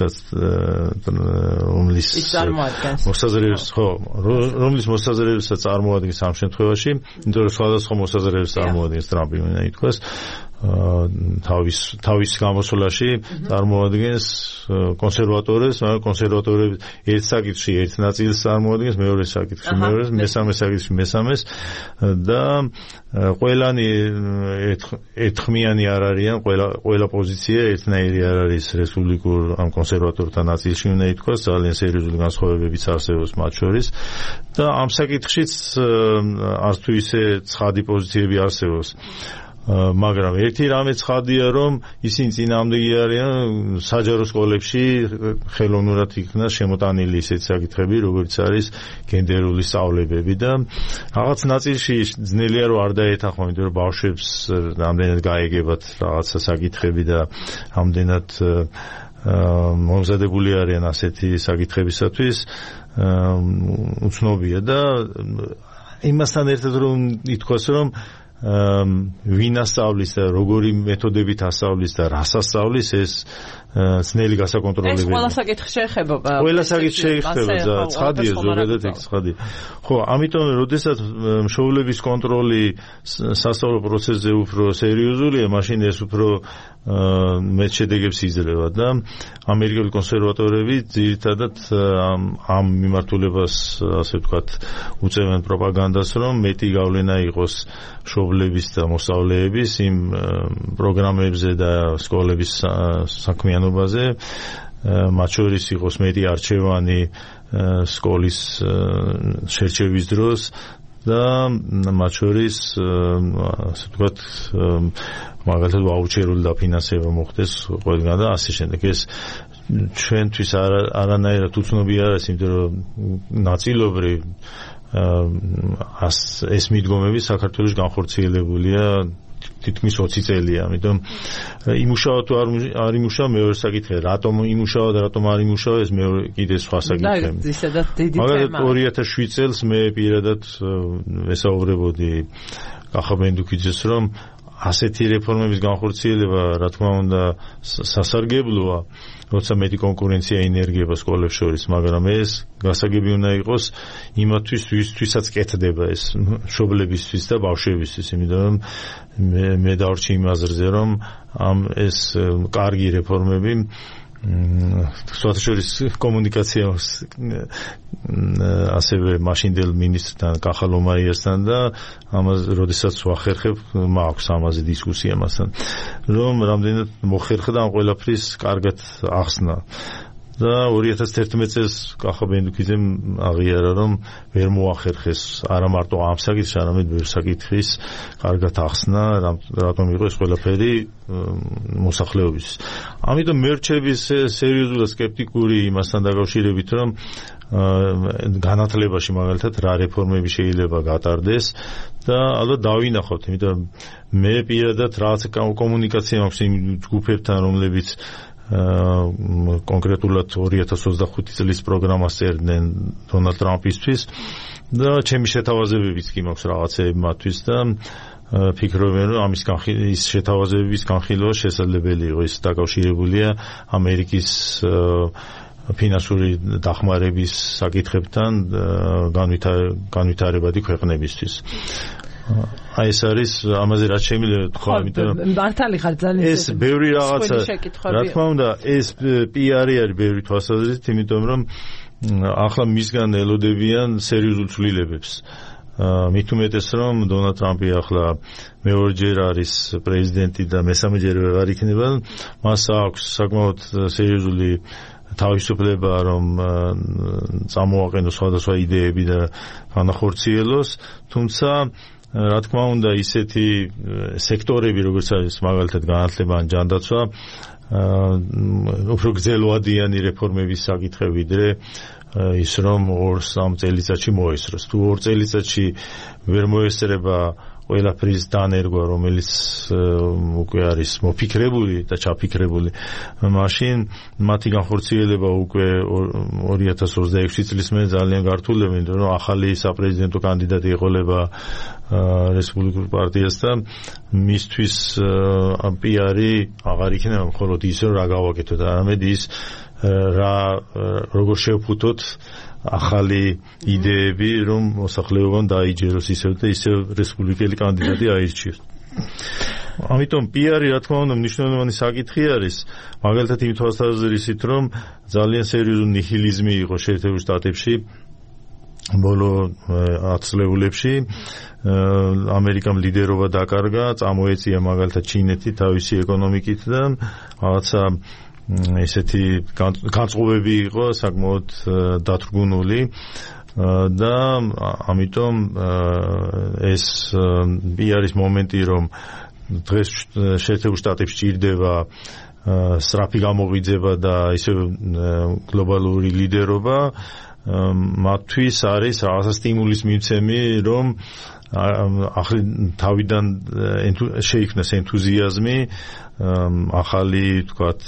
S2: მოსაზრებებსაც წარმოადგენს ამ შემთხვევაში, იმიტომ რომ სხვადასხვა მოსაზრებებს წარმოადგენს ტრამპი, მინდა ითქვას, თავის გამოსვლაში წარმოადგენს კონსერვატორებს, მაგრამ კონსერვატორები ერთ საკითხში ერთ ნაწილს წარმოადგენს, მეორე საკითხში მეორეს, მესამე საკითხში მესამეს და ყველანი ერთხმიანი არ არიან, ყველა პოზიცია ერთნაირი არ არის რესპუბლიკურ ამ კონსერვატორთა ნაწილში უნდა ითქვას, ძალიან სერიოზული განსხვავებებიც არსებობს მათ შორის და ამ საკითხშიც არც თუ ისე ცხადი პოზიციები არსებობს. მაგრამ ერთი რამე ცხადია, რომ ისინი წინააღმდეგი არიან საჯარო სკოლებში ხელოვნურად იქნა შემოტანილი ისეთი საკითხები, როგორც არის გენდერული სწავლებები და რაღაც ნაწილში ძნელია რომ არ დაეთანხმო, იმიტომ რომ ბავშვებს რამდენად გაეგებათ რაღაცა საკითხები და რამდენად მომზადებული არიან ასეთი საკითხებისათვის, უცნობია და იმასთან ერთად რომ ითქვას, რომ ვინ ასწავლის და როგორი მეთოდებით ასწავლის და რას ասწავლის, ეს ძნელი გასაკონტროლებელია.
S1: ეს ყველა საკითხი შეეხება.
S2: ყველა საკითხი შეეხება, ცხადია, ზოგადად ეგ ცხადია. ხო, ამიტომ, როდესაც მშობლების კონტროლი სასწავლო პროცესზე უფრო სერიოზულია, მაშინ ეს უფრო მეტ შედეგებს იძლევა და ამერიკელი კონსერვატორები ძირითადად ამ მიმართულებას, ასე ვთქვათ, უწევენ პროპაგანდას, რომ მეტი გავლენა იყოს მშობლების და მოსწავლეების იმ პროგრამებზე და სკოლების საქმიანობაზე, მათ შორის იყოს მეტი არჩევანი სკოლის შერჩევის დროს და მათ შორის, ასე ვთქვათ, მაგალითად ვაუჩერული დაფინანსება მოხდეს ყველგან და ასე შემდეგ. ეს ჩვენთვის არანაირად უცნობი არ არის, იმიტომ რომ ნაწილობრივ ეს მიდგომები საქართველოში განხორციელებულია თითქმის 20 წელია, ამიტომ იმუშავა თუ არ იმუშავა მეორე საკითხია, რატომ იმუშავა და რატომ არ იმუშავა, ეს მეორე კიდე სხვა საკითხია. მაგალითად 2007 წელს მე პირადად ვესაუბრებოდი კახა ბენდუქიძეს, რომ ასეთი რეფორმების განხორციელება, რა თქმა უნდა, სასარგებლოა, როცა მეტი კონკურენცია ინერგება სკოლებს შორის, მაგრამ ეს გასაგები უნდა იყოს იმათთვის, ვისთვისაც კეთდება ეს მშობლებისთვის და ბავშვებისთვის, იმიტომ რომ მე დავრჩი იმ აზრზე, რომ ეს კარგი რეფორმები სოციალურ კომუნიკაციას ასევე მაშინდელ მინისტრთან კახა ლომაიასთან და ამას როდესაც ვახერხებ, მაქვს ამაზე დისკუსია მასთან, რომ რამდენად მოხერხდა ამ ყველაფრის კარგად ახსნა. და 2011 წელს კახა ბენდუქიძემ აღიარა, რომ ვერ მოახერხეს არა მარტო ამ საკითხს, არამედ ბევრ საკითხის კარგად ახსნა, რატომ იყო ეს ყველაფერი მოსახლეობის. ამიტომ მე რჩები სერიოზულად სკეპტიკური იმასთან დაკავშირებით, რომ განათლებაში მაგალითად რა რეფორმები შეიძლება გატარდეს და ალბათ დავინახოთ, იმიტომ მე პირადად რაღაც კომუნიკაცია მაქვს იმ ჯგუფებთან, რომლებიც კონკრეტულად 2025 წლის პროგრამას წერდნენ დონალდ ტრამპისთვის და ჩემი შეთავაზებებიც კი მაქვს რაღაცეები მათთვის და ფიქრობენ, რომ ის შეთავაზებების განხილვა შესაძლებელი იყო, ის დაკავშირებულია ამერიკის ფინანსური დახმარების საკითხებთან განვითარებადი ქვეყნებისთვის. აი ეს არის ამაზე რაც შემიძლია თქვა, იმიტომ რომ
S1: მართალი ხარ ძალიან
S2: ეს ბევრი რაღაცა, რა თქმა უნდა, ეს პიარი არის ბევრი თვალსაზრისით, იმიტომ რომ ახლა მისგან ელოდებიან სერიოზულ ცვლილებებს. მით უმეტეს, რომ დონალდ ტრამპი ახლა მეორეჯერ არის პრეზიდენტი და მესამეჯერ არ იქნება, მას აქვს საკმაოდ სერიოზული თავისუფლება, რომ წამოაყენოს სხვადასხვა იდეები და განახორციელოს, თუმცა რა თქმა უნდა ისეთი სექტორები, როგორც არის მაგალითად განათლება ან ჯანდაცვა, უფრო გრძელვადიანი რეფორმების საკითხი ვიდრე ის რომ 2-3 წელიწადში მოესწროს. თუ 2 წელიწადში ვერ მოესწრება ყველაფრის დანერგვა, რომელიც უკვე არის მოფიქრებული და ჩაფიქრებული, მაშინ მათი განხორციელება უკვე 2026 წლის მერე ძალიან გართულდება, იმიტომ რომ ახალი საპრეზიდენტო კანდიდატი ეყოლება რესპუბლიკურ პარტიას და მისთვის პიარი აღარ იქნება მხოლოდ ის, რომ რა გავაკეთოთ, არამედ ის როგორ შევფუთოთ ახალი იდეები, რომ მოსახლეობამ დაიჯეროს ისევ და ისევ რესპუბლიკელი კანდიდატი აირჩიოს. ამიტომ PR-ი რა თქმა უნდა მნიშვნელოვანი საკითხი არის, მაგალითად იმ თვალსაზრისით, რომ ძალიან სერიოზული ნიჰილიზმი იყო შეერთებულ შტატებში ბოლო 10 წლებში ამერიკამ ლიდერობა დაკარგა, წამოეწია მაგალითად ჩინეთი თავისი ეკონომიკით და რაღაცა ესეთი განწყობები იყო საკმაოდ დათრგუნული და ამიტომ ეს არის მომენტი, რომ დღეს შეერთებულ შტატებში ჭირდება სწრაფი გამოღვიძება და ისე გლობალური ლიდერობა, მათთვის არის რაღაცა სტიმულის მიცემი, რომ თავიდან შეიქმნას ენთუზიაზმი ახალი, თქვათ,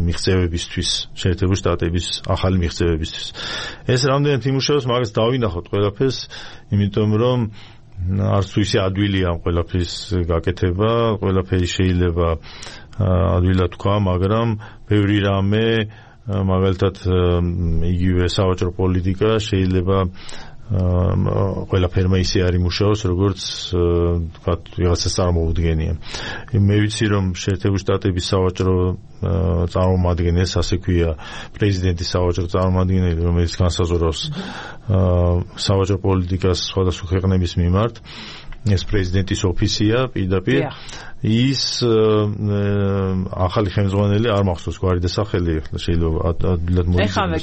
S2: მიღწევებისთვის, შეერთებულ შტატების ახალი მიღწევებისთვის. ეს რამდენად იმუშავებს, მაგას დავინახოთ ყველაფერს, იმიტომ რომ არც თუ ისე ადვილია ამ ყველაფრის გაკეთება, ყველაფერი შეიძლება ადვილად თქვა, მაგრამ ბევრი რამე, მაგალითად იგივე სავაჭრო პოლიტიკა შეიძლება ყველაფერმა ისე არ იმუშაოს, როგორც თქვათ ვიღაცას წარმოუდგენია. მე ვიცი, რომ შეერთებულ შტატების სავაჭრო წარმომადგენელს, ასე ქვია, პრეზიდენტის სავაჭრო წარმომადგენელი, რომელიც განსაზღვრავს სავაჭრო პოლიტიკას სხვადასხვა ქვეყნების მიმართ, ეს პრეზიდენტის ოფისია პირდაპირ. ის ახალი ხელმძღვანელი არ მახსოვს გვარი და სახელი, შეიძლება ადვილად
S1: მოიწონოს.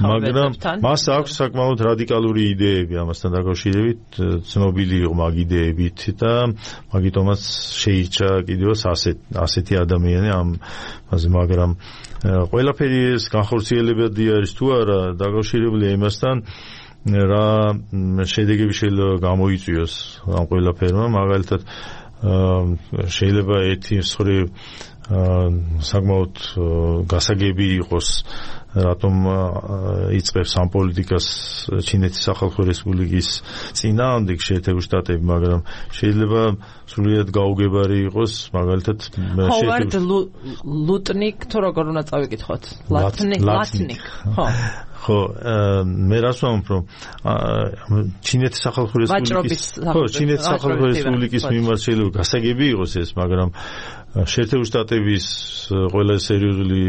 S2: მაგრამ მას აქვს საკმაოდ რადიკალური იდეები ამასთან დაკავშირებით, ცნობილი იყო მაგ იდეებით და მაგიტომაც შეირჩა კიდევაც ასეთი ადამიანი ამაზე, მაგრამ ყველაფერი ეს განხორციელებადი არის თუ არა დაკავშირებული იმასთან, რა შედეგები შეიძლება გამოიწვიოს ამ ყველაფერმა, მაგალითად შეიძლება ერთი მხრივ საკმაოდ გასაგები იყოს, რატომ იწყებს ამ პოლიტიკას ჩინეთის სახალხო რესპუბლიკის წინააღმდეგ შეერთებულ შტატები, მაგრამ შეიძლება სრულიად გაუგებარი იყოს, მაგალითად
S1: ჰოვარდ ლუტნიკ, თუ როგორ უნდა წავიკითხოთ? ლატნიკ.
S2: ხო, მე რას ვამბობ, რომ ჩინეთის სახალხო რესპუბლიკის მიმართ შეიძლება გასაგები იყოს ეს, მაგრამ შეერთებულ შტატების ყველა სერიოზული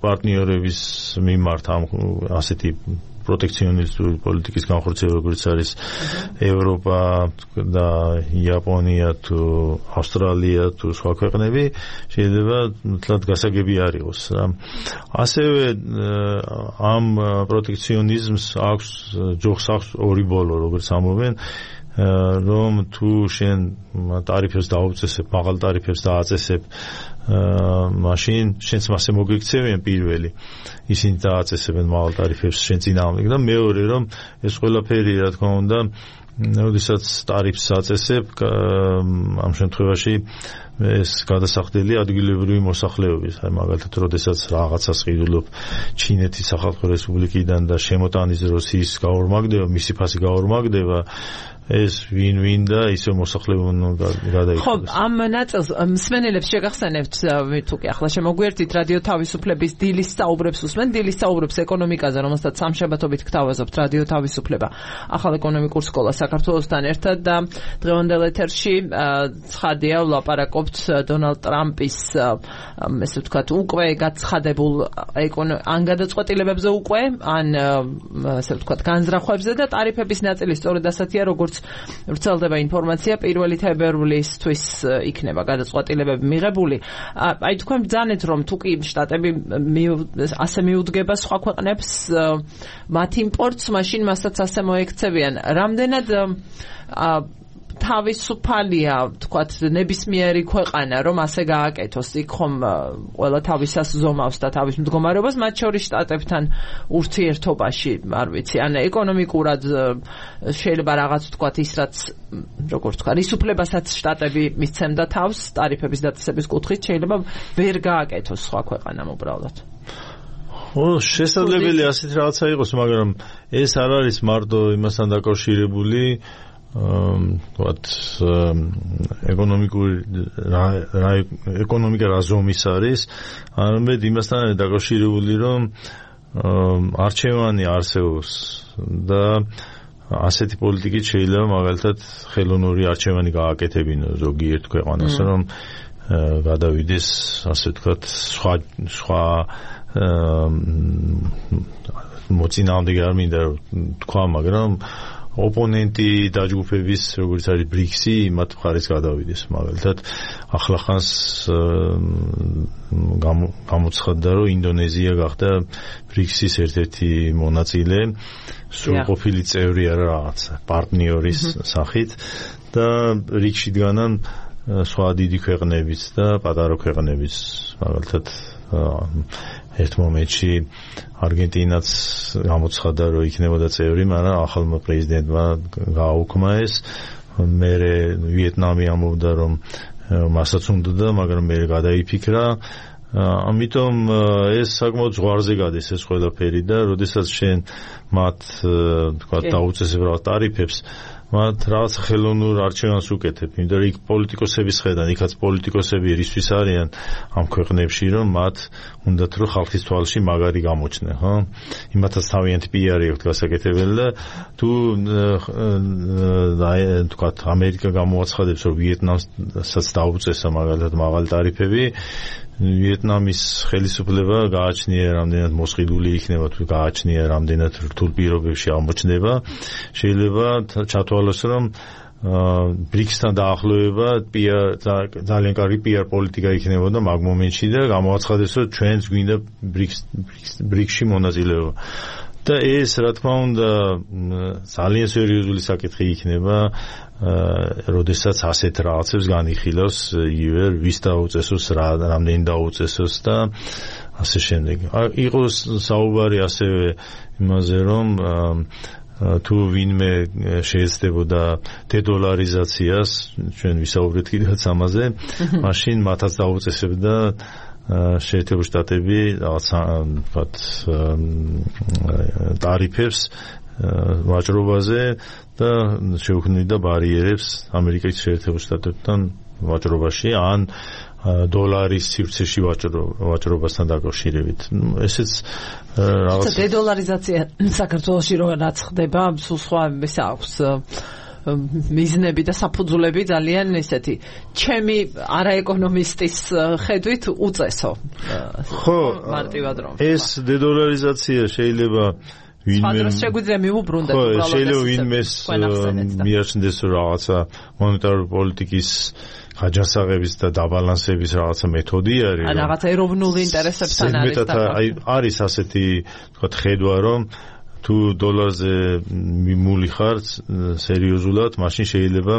S2: პარტნიორების მიმართ ამ ასეთი პროტექციონისტური პოლიტიკის განხორციელება, როგორც არის ევროპა და იაპონია თუ ავსტრალია თუ სხვა ქვეყნები, შეიძლება თლად გასაგები არ იყოს. ასევე ამ პროტექციონიზმს აქვს ჯოხს აქვს ორი ბოლო, როგორც ამბობენ, რომ თუ შენ ტარიფებს დაუწესებ, მაღალ ტარიფებს დააწესებ, მაშინ შენც მასე მოგექცევიან პირველი. ისინი დააწესებენ მაღალ ტარიფებს შენ წინააღმდეგ და მეორე, რომ ეს ყველაფერი, რა თქმა უნდა, როდესაც ტარიფს აწესებ, ამ შემთხვევაში ეს გადასახდელი ადგილობრივი მოსახლეობის, მაგალითად, როდესაც რაღაცას ყიდულობ ჩინეთის სახალხო რესპუბლიკიდან და შემოტანის დროს ის გაორმაგდება, მისი ფასი გაორმაგდება, ეს ვინ და ისე მოსახლეობამ გადაიქცეს.
S1: ხო, ამ ნაწილს მსმენელებს შეგახსენებთ, თუ კი ახლა შემოგვიერთით რადიო თავისუფლების დილის საუბრებს უსმენ, დილის საუბრებს ეკონომიკაზე, რომელსაც სამშაბათობით გთავაზობთ რადიო თავისუფლება, ახალ ეკონომიკურ სკოლა საქართველოსთან ერთად და დღევანდელ ეთერში ცხადია ვლაპარაკობთ დონალდ ტრამპის ესე ვთქვათ უკვე გაცხადებულ ან გადაწყვეტილებებზე უკვე, ან ესე ვთქვათ განზრახვებზე და ტარიფების ნაწილი სწორედ ასეთია, როგორც ვრცელდება ინფორმაცია, 1 თებერვლისთვის იქნება გადაწყვეტილებები მიღებული. აი თქვენ ბრძანეთ, რომ თუ კი შტატები ასე მიუდგება სხვა ქვეყნებს მათ იმპორტს, მაშინ მასაც ასე მოექცევიან. რამდენად თავისუფალია, თქვათ, ნებისმიერი ქვეყანა, რომ ასე გააკეთოს, იქ ხომ ყველა თავისას ზომავს და თავის მდგომარეობას, მათ შორის შტატებთან ურთიერთობაში, არ ვიცი, ან ეკონომიკურად შეიძლება რაღაც, თქვათ, ის რაც, როგორ თქვა, ის უფლებასაც შტატები მისცემდა თავს ტარიფების დაწესების კუთხით, შეიძლება ვერ გააკეთოს სხვა ქვეყანამ უბრალოდ.
S2: ო, შესაძლებელია ასეთ რაღაცა იყოს, მაგრამ ეს არ არის მარტო იმასთან დაკავშირებული, ვთქვათ, ეკონომიკა რა ზომის არის, არამედ იმასთან არის დაკავშირებული, რომ არჩევანი არსებობს და ასეთი პოლიტიკით შეიძლება მაგალითად ხელოვნური არჩევანი გააკეთებინოს ზოგიერთ ქვეყანას, რომ გადავიდეს, ასე ვთქვათ, სხვა მოწინააღმდეგე არ მინდა თქვა, მაგრამ ოპონენტი დაჯგუფების, როგორც არის ბრიქსი, მათ მხარეს გადავიდეს. მაგალითად, ახლახანს გამოცხადდა, რომ ინდონეზია გახდა ბრიქსის ერთ-ერთი მონაწილე, სრულყოფილი წევრი არა რაღაცა, პარტნიორის სახით და ბრიქსში დგანან სხვა დიდი ქვეყნებიც და პატარა ქვეყნებიც, მაგალითად ერთ მომენტში არგენტინაც გამოცხადდა, რომ იქნებოდა წევრი, მაგრამ ახალმა პრეზიდენტმა გააუქმა ეს. მერე ვიეტნამი ამბობდა, რომ მასაც უნდოდა, მაგრამ მერე გადაიფიქრა. ამიტომ ეს საკმაოდ ზღვარზე გადის ეს ყველაფერი და როდესაც შენ მათ თქვა დაუწესებ რა ტარიფებს, მათ რაღაც ხელოვნურ არჩევანს უკეთებ, იმიტომ რომ იქ პოლიტიკოსების ხედან, იქაც პოლიტიკოსები რისთვის არიან ამ ქვეყნებში, რომ მათ უნდათ რომ ხალხის თვალში მაგარი გამოჩნდნენ, ხო? იმათაც თავიანთი პიარი აქვს გასაკეთებელი და თუ თქვა ამერიკა გამოაცხადებს, რომ ვიეტნამსაც დაუწესა მაგალითად მაღალი ტარიფები, ვიეტნამის ხელისუფლება გააჩნია რამდენად მოსყიდული იქნება, თუ გააჩნია რამდენად რთულ პირობებში აღმოჩნდება, შეიძლება ჩათვალოს, რომ ბრიქსთან დაახლოება ძალიან კარგი პიარ პოლიტიკა იქნებოდა მაგ მომენტში და გამოაცხადებს, რომ ჩვენც გვინდა ბრიქსში მონაწილეობა. და ეს, რა თქმა უნდა, ძალიან სერიოზული საკითხი იქნება, როდესაც ასეთ რაღაცებს განიხილავს იგივე ვის დაუწესოს, რამდენი დაუწესოს და ასე შემდეგ. იყოს საუბარი ასევე იმაზე, რომ თუ ვინმე შეეცდებოდა დედოლარიზაციას, ჩვენ ვისაუბრეთ კიდევაც ამაზე, მაშინ მათაც დაუწესებდა შეერთებული შტატები რაღაცა ვთქვათ ტარიფებს ვაჭრობაზე და შეუქმნიდა ბარიერებს ამერიკის შეერთებულ შტატებთან ვაჭრობაში ან დოლარის სივრცეში ვაჭრობასთან დაკავშირებით. ესეც
S1: რაღაც დედოლარიზაცია საქართველოში რაც ხდება, სულ სხვა ეს აქვს მიზნები და საფუძვლები ძალიან ესეთი ჩემი არაეკონომისტის ხედვით უწესო.
S2: ხო,
S1: მარტივად რომ
S2: ეს დედოლარიზაცია შეიძლება
S1: ვინმე შეგვიძლია მიუბრუნდეთ უბრალოდ
S2: შეიძლება ვინმეს მიაჩნდეს რაღაცა მონეტარული პოლიტიკის ხაჯასაღების და დაბალანსების რაღაცა მეთოდი არის.
S1: ან რაღაცა ეროვნულ ინტერესებთან არის
S2: და არის ასეთი თქვათ ხედვა, რომ თუ დოლარზე მიმული ხარ სერიოზულად, მაშინ შეიძლება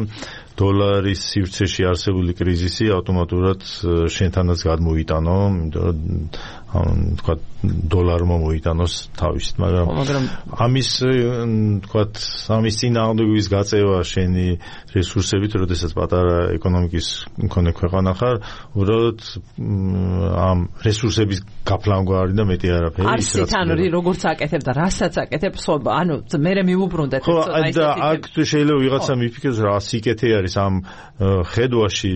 S2: დოლარის სივრცეში არსებული კრიზისი ავტომატურად შენთანაც გადმოიტანო, იმიტომ რომ თქვა დოლარმა მოიტანოს თავისით, მაგრამ ამის წინააღმდეგობის გაწევა შენი რესურსებით, როდესაც პატარა ეკონომიკის მქონე ქვეყანა ხარ, უბრალოდ ამ რესურსების გაფლანგვარი და მეტი არაფერი.
S1: არცით ანუ როგორც აკეთებ და რასაც აკეთებ, ანუ მერე მიუბრუნდეთ.
S2: ხო, და აქ შეიძლება ვიღაცა მიფიქროს რა სიკეთე არის ამ ხედვაში,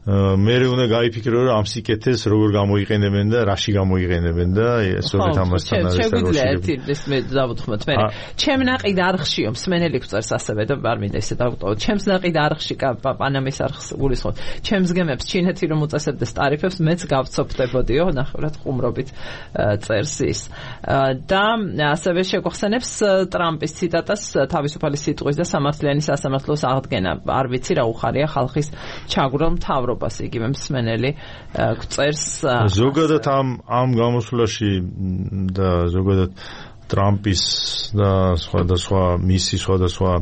S2: მერე უნდა გაიფიქრო, რომ ამ სიკეთეს როგორ გამოიყენებენ და რაში გამოიყენებენ და სწორედ ამასთან არის
S1: შეგვიძლია ერთი ეს მე დავუთხრათ მე. ჩემ ნაყიდ არხშიო მსმენელი გვწერს ასევე და არ მინდა ესე დავუტოვოთ. ჩემს ნაყიდ არხში პანამის არხს გულისხმობ. ჩემს გემებს ჩინეთი რომ უწესებდეს ტარიფებს, მეც გავცოფდებოდიო, ნახევრად ხუმრობით წერს ის. და ასევე შეგახსენებს ტრამპის ციტატას თავისუფალი სიტყვის და სამართლიანი სასამართლოს აღდგენა. არ ვიცი რა უხარია ხალხის ჩაგვრილ მთავრობას. იგივე მსმენელი გვწერს
S2: ზოგადად ამ გამოსვლაში და ზოგადად ტრამპის და სხვადასხვა მისი სხვადასხვა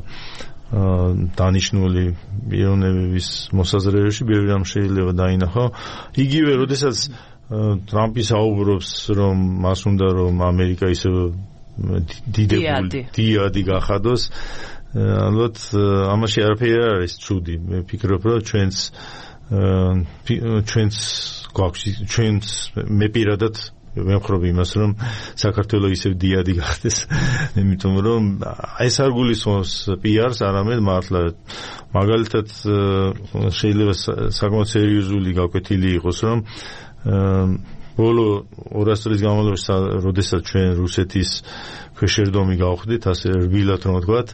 S2: დანიშნული პიროვნებების მოსაზრებებში ბევრი რამ შეიძლება დაინახო. იგივე როდესაც ტრამპი საუბრობს, რომ მას უნდა რომ ამერიკა ისე დიდებული გახადოს, ალბათ ამაში არაფერი არ არის ცუდი. მე ვფიქრობ, რომ ჩვენც მე პირადად ვემხრობ იმას, რომ საქართველოს ისევ დიადი გახდეს, იმიტომ რომ ეს არ გულისხმობს პიარს, არამედ მართლა მაგალითად შეიძლება საკმაოდ სერიოზული გაკვეთილი იყოს, რომ ბოლო 200 წლის განმავლობაში, როდესაც ჩვენ რუსეთის ქვეშევრდომი გავხდით, ასე რბილად რომ ვთქვათ,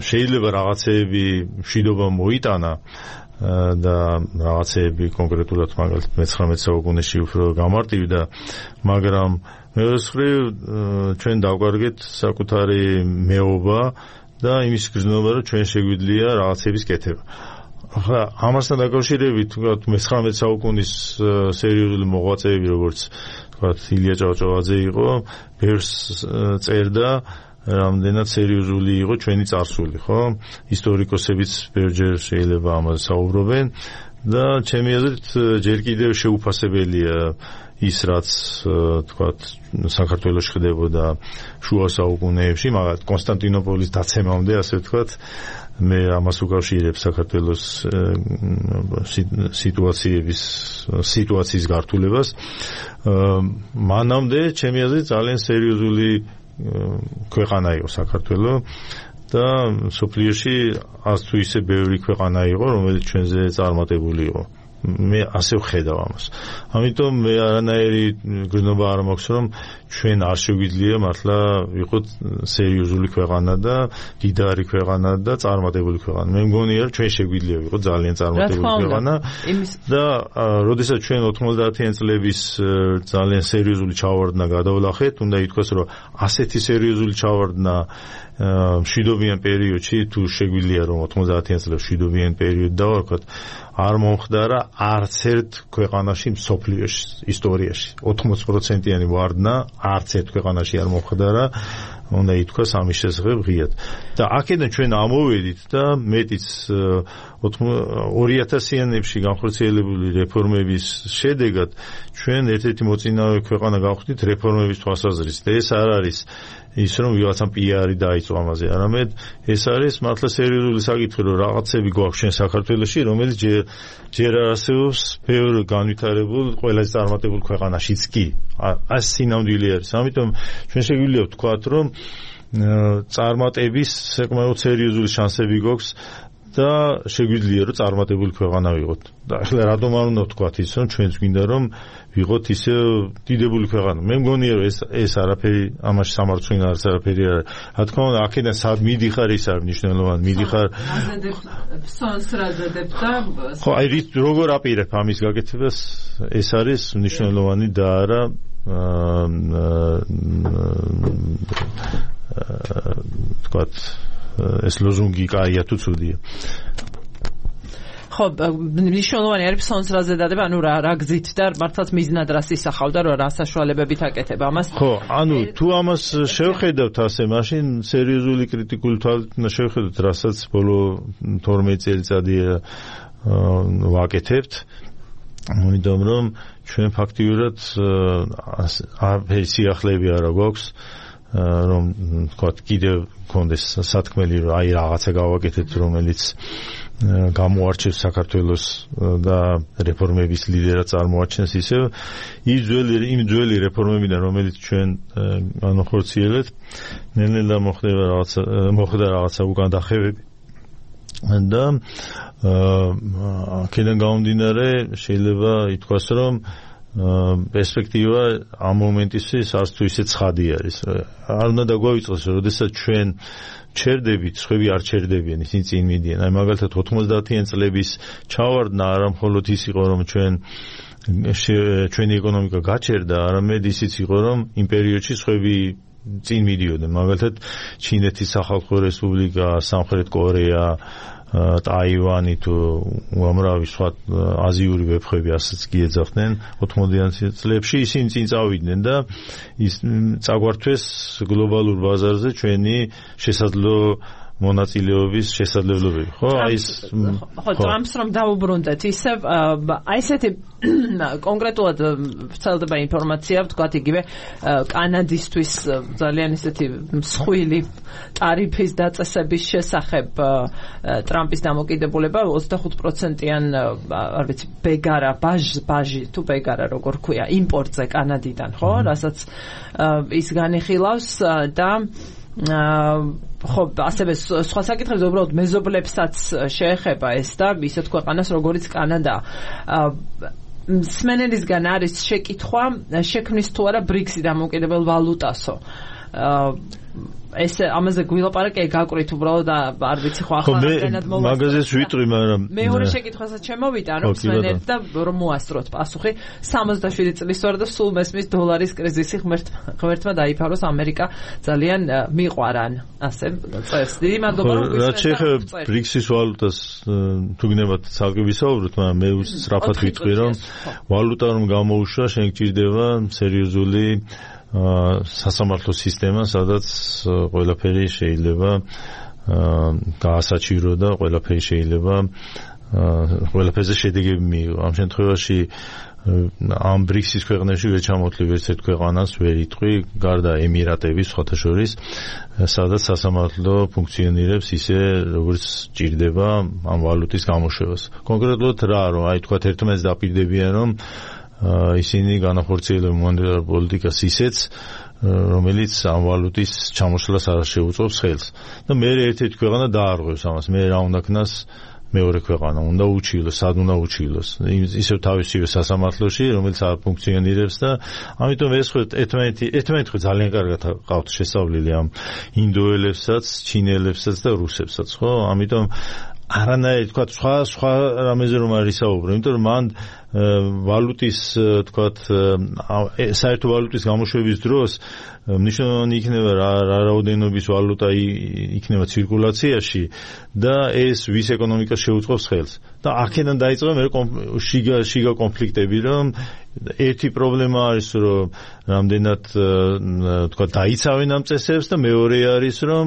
S2: შეიძლება რაღაცეები მშვიდობა მოიტანა და რაღაცეები კონკრეტულად მაგალითად მე-19 საუკუნეში უფრო გამარტივდა, მაგრამ მეორე მხრივ ჩვენ დავკარგეთ საკუთარი მეობა და იმის გრძნობა, რომ ჩვენ შეგვიძლია რაღაცების კეთება. ახლა ამასთან დაკავშირებით, ვთქვათ, მე-19 საუკუნის სერიოზული მოღვაწეები, როგორც ვთქვათ, ილია ჭავჭავაძე იყო, ბევრს წერდა, რამდენად სერიოზული იყო ჩვენი წარსული, ხო? ისტორიკოსებიც ბევრჯერ შეიძლება ამაზე საუბრობენ და ჩემი აზრით ჯერ კიდევ შეუფასებელია ის, რაც ვთქვათ, საქართველოში ხდებოდა შუა საუკუნეებში, მაგრამ კონსტანტინოპოლის დაცემამდე, ასე ვთქვათ, მე ამას უკავშირებ საქართველოს სიტუაციის გართულებას. მანამდე ჩემი აზრით ძალიან სერიოზული ქვეყანა იყო საქართველო და სოფლიოში ას თუ ისე ბევრი ქვეყანა იყო, რომელიც ჩვენზე წარმატებული იყო. მე ასე ვხედავ ამას. ამიტომ მე არანაირი გრძნობა არ მაქვს, რომ ჩვენ არ შეგვიძლია მართლა ვიყოთ სერიოზული ქვეყანა და დიდარი ქვეყანა და წარმატებული ქვეყანა. მე მგონია, რომ ჩვენ შეგვიძლია ვიყოთ ძალიან წარმატებული ქვეყანა და როდესაც ჩვენ 90-იან წლების ძალიან სერიოზული ჩავარდნა გადავლახეთ, უნდა ითქვას, რომ ასეთი სერიოზული ჩავარდნა მშვიდობიან პერიოდში, თუ შეგვიძლია რომ 90-იან წლებში მშვიდობიან პერიოდი დავარქვათ, არ მომხდარა არც ერთ ქვეყანაში მსოფლიოში ისტორიაში 80%-იანი ვარდნა არც ერთ ქვეყანაში არ მომხდარა, უნდა ითქვას ამის შესახებ ღიად. და აქედან ჩვენ ამოვედით და მეტიც 2000-იანებში განხორციელებული რეფორმების შედეგად ჩვენ ერთ-ერთი მოწინავე ქვეყანა გავხდით რეფორმების თვალსაზრისით. ეს არ არის ის, რომ ვიღაცამ პიარი დაიწყო ამაზე, არამედ ეს არის მართლა სერიოზული საკითხი, რომ რაღაცები გვაქვს ჩვენ საქართველოში, რომელიც ჯერ არ არსებობს ბევრ განვითარებულ, ყველაზე წარმატებულ ქვეყანაშიც კი. ეს სინამდვილე არის. ამიტომ ჩვენ შეგვიძლია ვთქვათ, რომ წარმატების საკმაოდ სერიოზული შანსები გვაქვს და შეგვიძლია რომ წარმატებული ქვეყანა ვიყოთ. და ახლა რატომ არ უნდა ვთქვათ ის, რომ ჩვენც გვინდა რომ ვიყოთ ისე დიდებული ქვეყანა. მე მგონია რომ ეს არაფერი ამაში სამარცხვინო არც არაფერი არ არის. რა თქმა უნდა, აქედან სად მიდიხარ ის არის მნიშვნელოვანი. მიდიხარ
S1: სონს რაზედებ და
S2: ხო, აი როგორ აპირებ ამის გაკეთებას, ეს არის მნიშვნელოვანი და არა ვთქვათ ეს ლოზუნგი კაია თუ ცუდია.
S1: ხო, მნიშვნელოვანი არის სონს რაზედადება, ანუ რა გზით და მართლაც მიზნად რას ისახავდა, რომ რა საშუალებებით აკეთება ამას.
S2: ხო, ანუ თუ ამას შევხედავთ ასე, მაშინ სერიოზული კრიტიკული თვალით უნდა შევხედოთ, რასაც ბოლო 12 წელიწადია ვაკეთებთ. ამიტომ რომ ჩვენ ფაქტიურად არაფერი სიახლეები არ გვაქვს, რომ თქვათ კიდევ კონდეს სათქმელი, რომ აი რაღაცა გავაკეთეთ, რომელიც გამოარჩევს საქართველოს და რეფორმების ლიდერად წარმოაჩენს ისევ იმ ძველი რეფორმებიდან, რომელიც ჩვენ განახორციელებთ, ნელ-ნელა მოხდა რაღაცა უკან დახევები და აქედან გამომდინარე შეიძლება ითქვას, რომ პერსპექტივა ამ მომენტისთვის არც თუ ისე ცხადი არის. არ უნდა დაგვავიწყოს, როდესაც ჩვენ ჩერდებით, სხვები არ ჩერდებიან, ისინი წინ მიდიან. აი მაგალითად 90-იან წლების ჩავარდნა არა მხოლოდ ის იყო, რომ ჩვენი ეკონომიკა გაჩერდა, არამედ ისიც იყო, რომ იმ პერიოდში სხვები წინ მიდიოდნენ. მაგალითად ჩინეთის სახალხო რესპუბლიკა, სამხრეთ კორეა, ტაივანი თუ უამრავი სხვა აზიური ვეფხვები ასეც კი ეძახდნენ 90-იან წლებში, ისინი წინ წავიდნენ და ის წაგვართვეს გლობალურ ბაზარზე ჩვენი შესაძლო მონაწილეობის შესაძლებლობები. ხო, აი ეს
S1: ხო, ტრამპს რომ დაუბრუნდეთ, ისევ აი ესეთი კონკრეტულად ვრცელდება ინფორმაცია, ვთქვათ იგივე კანადისთვის ძალიან ისეთი მსხვილი ტარიფის დაწესების შესახებ ტრამპის დამოკიდებულება 25%-იან არ ვიცი ბეგარა ბაჟი თუ ბეგარა როგორ ქვია იმპორტზე კანადიდან, ხო, რასაც ის განიხილავს და ხო, ასევე სხვა საკითხებზე უბრალოდ მეზობლებსაც შეეხება ეს და ისეთ ქვეყანას როგორც კანადა. სმენელისგან არის შეკითხვა შექმნის თუ არა BRICS-ი დამოუკიდებელ ვალუტასო. ეს ამაზე გვილაპარაკე გაკვირით უბრალოდ არ ვიცი ხო ახლა რამდენად მოვასწროთ.
S2: მაგაზეც ვიტყვი, მაგრამ
S1: მეორე შეკითხვასაც შემოვიდა, რომ სმენელთ და რომ მოასწროთ პასუხი 67 წლის ვარ და სულ მესმის დოლარის კრიზისი ღმერთმა დაიფაროს ამერიკა ძალიან მიყვარან. ასე წერს. დიდი მადლობა რომ
S2: რაც შეეხება BRICS-ის ვალუტას თუ გნებათ ცალკე ვისაუბროთ, მაგრამ მე სწრაფად ვიტყვი, რომ ვალუტა რომ გამოუშვა, შენ გჭირდება სერიოზული სასამართლო სისტემა, სადაც ყველაფერი შეიძლება გაასაჩირო და ყველაფერი შეიძლება ყველაფერზე შედეგები მიიღო. ამ შემთხვევაში ამ BRICS-ის ქვეყნებში ვერ ჩამოთვლი ვერც ერთ ქვეყანას, ვერ იტყვი, გარდა ემირატების სხვათა შორის, სადაც სასამართლო ფუნქციონირებს ისე, როგორც ჭირდება ამ ვალუტის გამოშვებას. კონკრეტულად რა, რომ აი თქვა ერთმანეთს დაპირდებიან, რომ ისინი განახორციელებენ მონეტარ პოლიტიკას ისეც, რომელიც ამ ვალუტის ჩამოშლას არ შეუწყობს ხელს. და მე ერთ-ერთი ქვეყანა დაარღვევს ამას. მე რა უნდა ქნას მეორე ქვეყანა, უნდა უჩივლოს, სად უნდა უჩივლოს. ისევ თავისივე სასამართლოში, რომელიც არ ფუნქციონირებს და ამიტომ ეს ხო ერთმანეთი ხო ძალიან კარგად ყავთ შესწავლილი ამ ინდოელებსაც, ჩინელებსაც და რუსებსაც, ხო? ამიტომ არანაირი თქვა სხვა რამეზე რომ არ ისაუბრო, იმიტომ რომ მან ვალუტის თქვა საერთო ვალუტის გამოშვების დროს მნიშვნელოვანი იქნება რა რაოდენობის ვალუტა იქნება ცირკულაციაში და ეს ვის ეკონომიკას შეუწყობს ხელს. და აქედან დაიწყება მე შიგა კონფლიქტები, რომ ერთი პრობლემა არის, რომ რამდენად თქვა დაიცავენ ამ წესებს და მეორე არის, რომ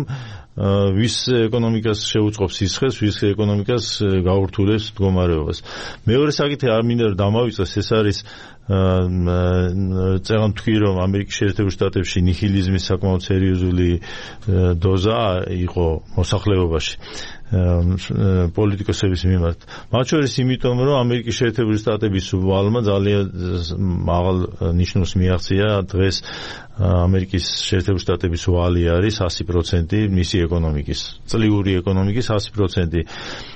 S2: ვის ეკონომიკას შეუწყობს სისხლს, ვის ეკონომიკას გაურთულებს მდგომარეობას. მეორე საკითხი არ მინდა რომ დამავიწყდეს, ეს არის წერან თქვი, რომ ამერიკის შეერთებულ შტატებში ნიჰილიზმის საკმაოდ სერიოზული დოზა იყო მოსახლეობაში პოლიტიკოსების მიმართ. მათ შორის იმიტომ, რომ ამერიკის შეერთებული შტატების ვალმა ძალიან მაღალ ნიშნულს მიაღწია დღეს ამერიკის შეერთებული შტატების ვალი არის 100% მისი ეკონომიკის, წლიური ეკონომიკის 100%.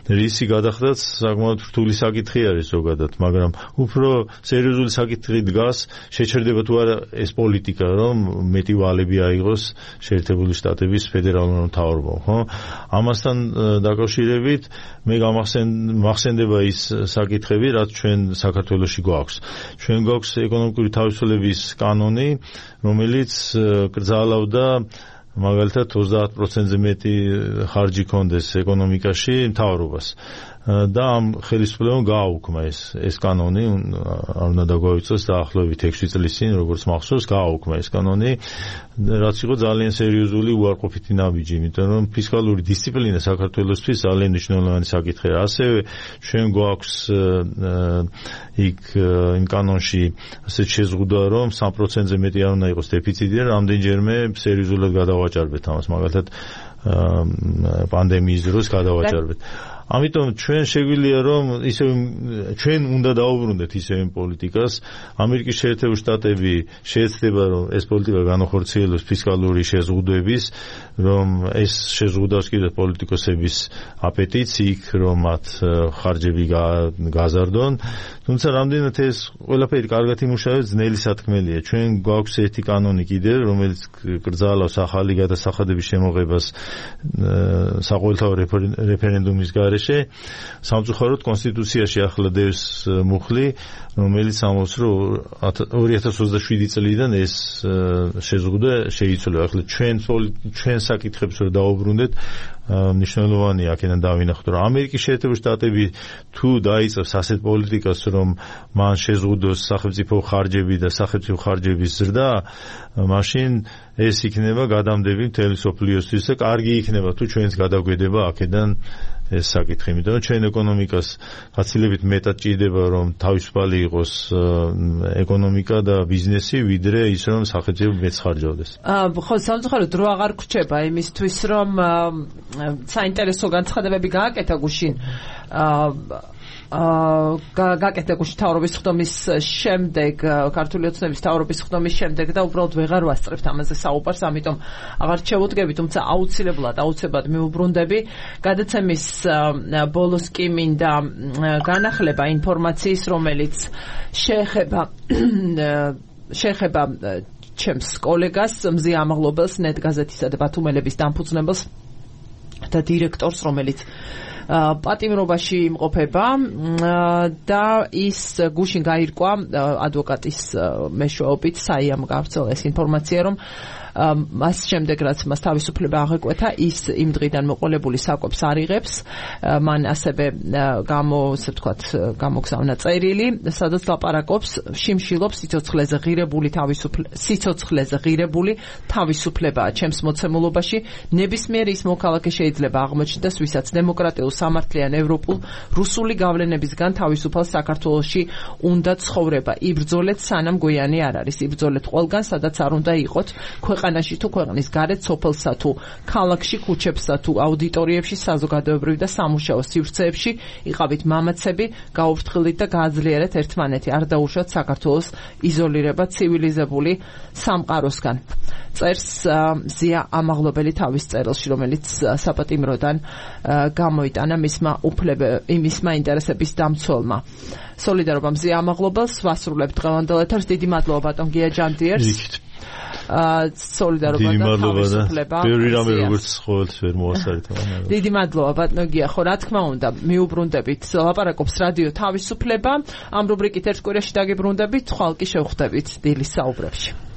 S2: რისი გადახდაც საკმაოდ რთული საკითხი არის ზოგადად, მაგრამ უფრო სერიოზული საკითხი დგას, შეჩერდება თუ არა ეს პოლიტიკა, რომ მეტი ვალები აიღოს შეერთებული შტატების ფედერალურ მთავრობამ, ხო? ამასთან დაკავშირებით მე მახსენდება ის საკითხები, რაც ჩვენ საქართველოში გვაქვს. ჩვენ გვაქვს ეკონომიკური თავისუფლების კანონი, რომელიც კრძალავდა მაგალითად 30%-ზე მეტი ხარჯი კონდეს ეკონომიკაში მთავრობას. და ამ ხელისუფლებამ გააუქმა ეს კანონი, არ უნდა დაგვავიწყოს დაახლოებით 6 წლის წინ, როგორც მახსოვს, გააუქმა ეს კანონი, რაც იყო ძალიან სერიოზული უარყოფითი ნაბიჯი, იმიტომ რომ ფისკალური დისციპლინა საქართველოსთვის ძალიან მნიშვნელოვანი საკითხია. ასევე ჩვენ გვაქვს იქ იმ კანონში ასეთ შეზღუდვა, რომ 3%-ზე მეტი არ უნდა იყოს დეფიციტი და რამდენჯერმე სერიოზულად გადავაჭარბეთ ამას, მაგალითად პანდემიის დროს გადავაჭარბეთ. ამიტომ ჩვენ შეგვიძლია რომ ისე ჩვენ უნდა დაუბრუნდეთ ისე პოლიტიკას. ამერიკის შეერთებული შტატები შეეცდება რომ ეს პოლიტიკა განახორციელოს ფისკალური შეზღუდვების, რომ ეს შეზღუდავს კიდევ პოლიტიკოსების აპეტიტს იქ, რომ მათ ხარჯები გაზარდონ. თუმცა რამდენად ეს ყველაფერი კარგად იმუშავებს, ძნელი სათქმელია. ჩვენ გვაქვს ერთი კანონი კიდევ, რომელიც კრძალავს ახალი გადასახადების შემოღებას საყოველთაო რეფერენდუმის გარეშე. სამწუხაროდ კონსტიტუციაში ახლა დევს მუხლი, რომელიც ამბობს, რომ 2027 წლიდან ეს შეზღუდვა შეიცვალა. ახლა ჩვენ საკითხებს რომ დაუბრუნდეთ, მნიშვნელოვანია აქედან დავინახოთ, რომ ამერიკის შეერთებული შტატები თუ დაიწყებს ასეთ პოლიტიკას, რომ მან შეზღუდოს სახელმწიფო ხარჯები და სახელმწიფო ხარჯების ზრდა, მაშინ ეს იქნება გადამდები მთელი სოფლიოსთვის და კარგი იქნება თუ ჩვენც გადაგვედება აქედან ეს საკითხი, იმიტომ რომ ჩვენ ეკონომიკას გაცილებით მეტად ჭირდება, რომ თავისუფალი იყოს ეკონომიკა და ბიზნესი, ვიდრე ის რომ სახელმწიფო მეც ხარჯავდეს.
S1: ხო, სამწუხაროდ დრო აღარ გრჩება იმისთვის, რომ საინტერესო განცხადებები გააკეთა გუშინ გაკეთებული თავრობის ხდომის შემდეგ, ქართული ოცნების თავრობის ხდომის შემდეგ და უბრალოდ ვეღარ ვასწრებთ ამაზე საუბარს, ამიტომ აღარ შევუდგები, თუმცა აუცილებლად მიუბრუნდები. გადაცემის ბოლოს კი მინდა განახლება ინფორმაციის, რომელიც შეეხება ჩემს კოლეგას, მზია ამაღლობელს, ნეტ გაზეთისა და ბათუმელების დამფუძნებელს და დირექტორს, რომელიც პატიმრობაში იმყოფება და ის გუშინ გაირკვა ადვოკატის მეშვეობით, საიამ გავრცელა ეს ინფორმაცია, რომ მას შემდეგ რაც მას თავისუფლება აღეკვეთა, ის იმ დღიდან მოყოლებული საკვებს არ იღებს. მან ასევე გამოგზავნა წერილი, სადაც ლაპარაკობს, შიმშილობს სიცოცხლეზე ღირებული თავისუფლებაა ჩემს მოცემულობაში. ნებისმიერი ის მოქალაქე შეიძლება აღმოჩნდეს, ვისაც დემოკრატიულ, სამართლიან, ევროპულ, რუსული გავლენებისგან თავისუფალ საქართველოში უნდა ცხოვრება. იბრძოლეთ, სანამ გვიანი არ არის. იბრძოლეთ ყველგან, სადაც არ უნდა იყოთ. ქვეყანაში თუ ქვეყნის გარეთ, სოფელსა თუ ქალაქში, ქუჩებსა თუ აუდიტორიებში, საზოგადოებრივ და სამუშაო სივრცეებში იყავით მამაცები, გაუფრთხილდით და გააძლიერეთ ერთმანეთი. არ დაუშვათ საქართველოს იზოლირება ცივილიზებული სამყაროსგან. წერს მზია ამაღლობელი თავის წერილში, რომელიც საპატიმროდან გამოიტანა მისმა ინტერესების დამცველმა. სოლიდარობა მზია ამაღლობელს, ვასრულებთ დღევანდელ ეთერს. დიდი მადლობა ბატონ გია ჯანდიერს. სოლიდარობა და თავისუფლება.
S2: ბევრი რამე როგორც ყოველთვის ვერ მოასწარეთ.
S1: დიდი მადლობა ბატონ გია, ხო რა თქმა უნდა, მიუბრუნდებით. ლაპარაკობს რადიო თავისუფლება. ამ რუბრიკით ერთ კვირაში დაგიბრუნდებით, ხვალ კი შევხვდებით დილის საუბრებში.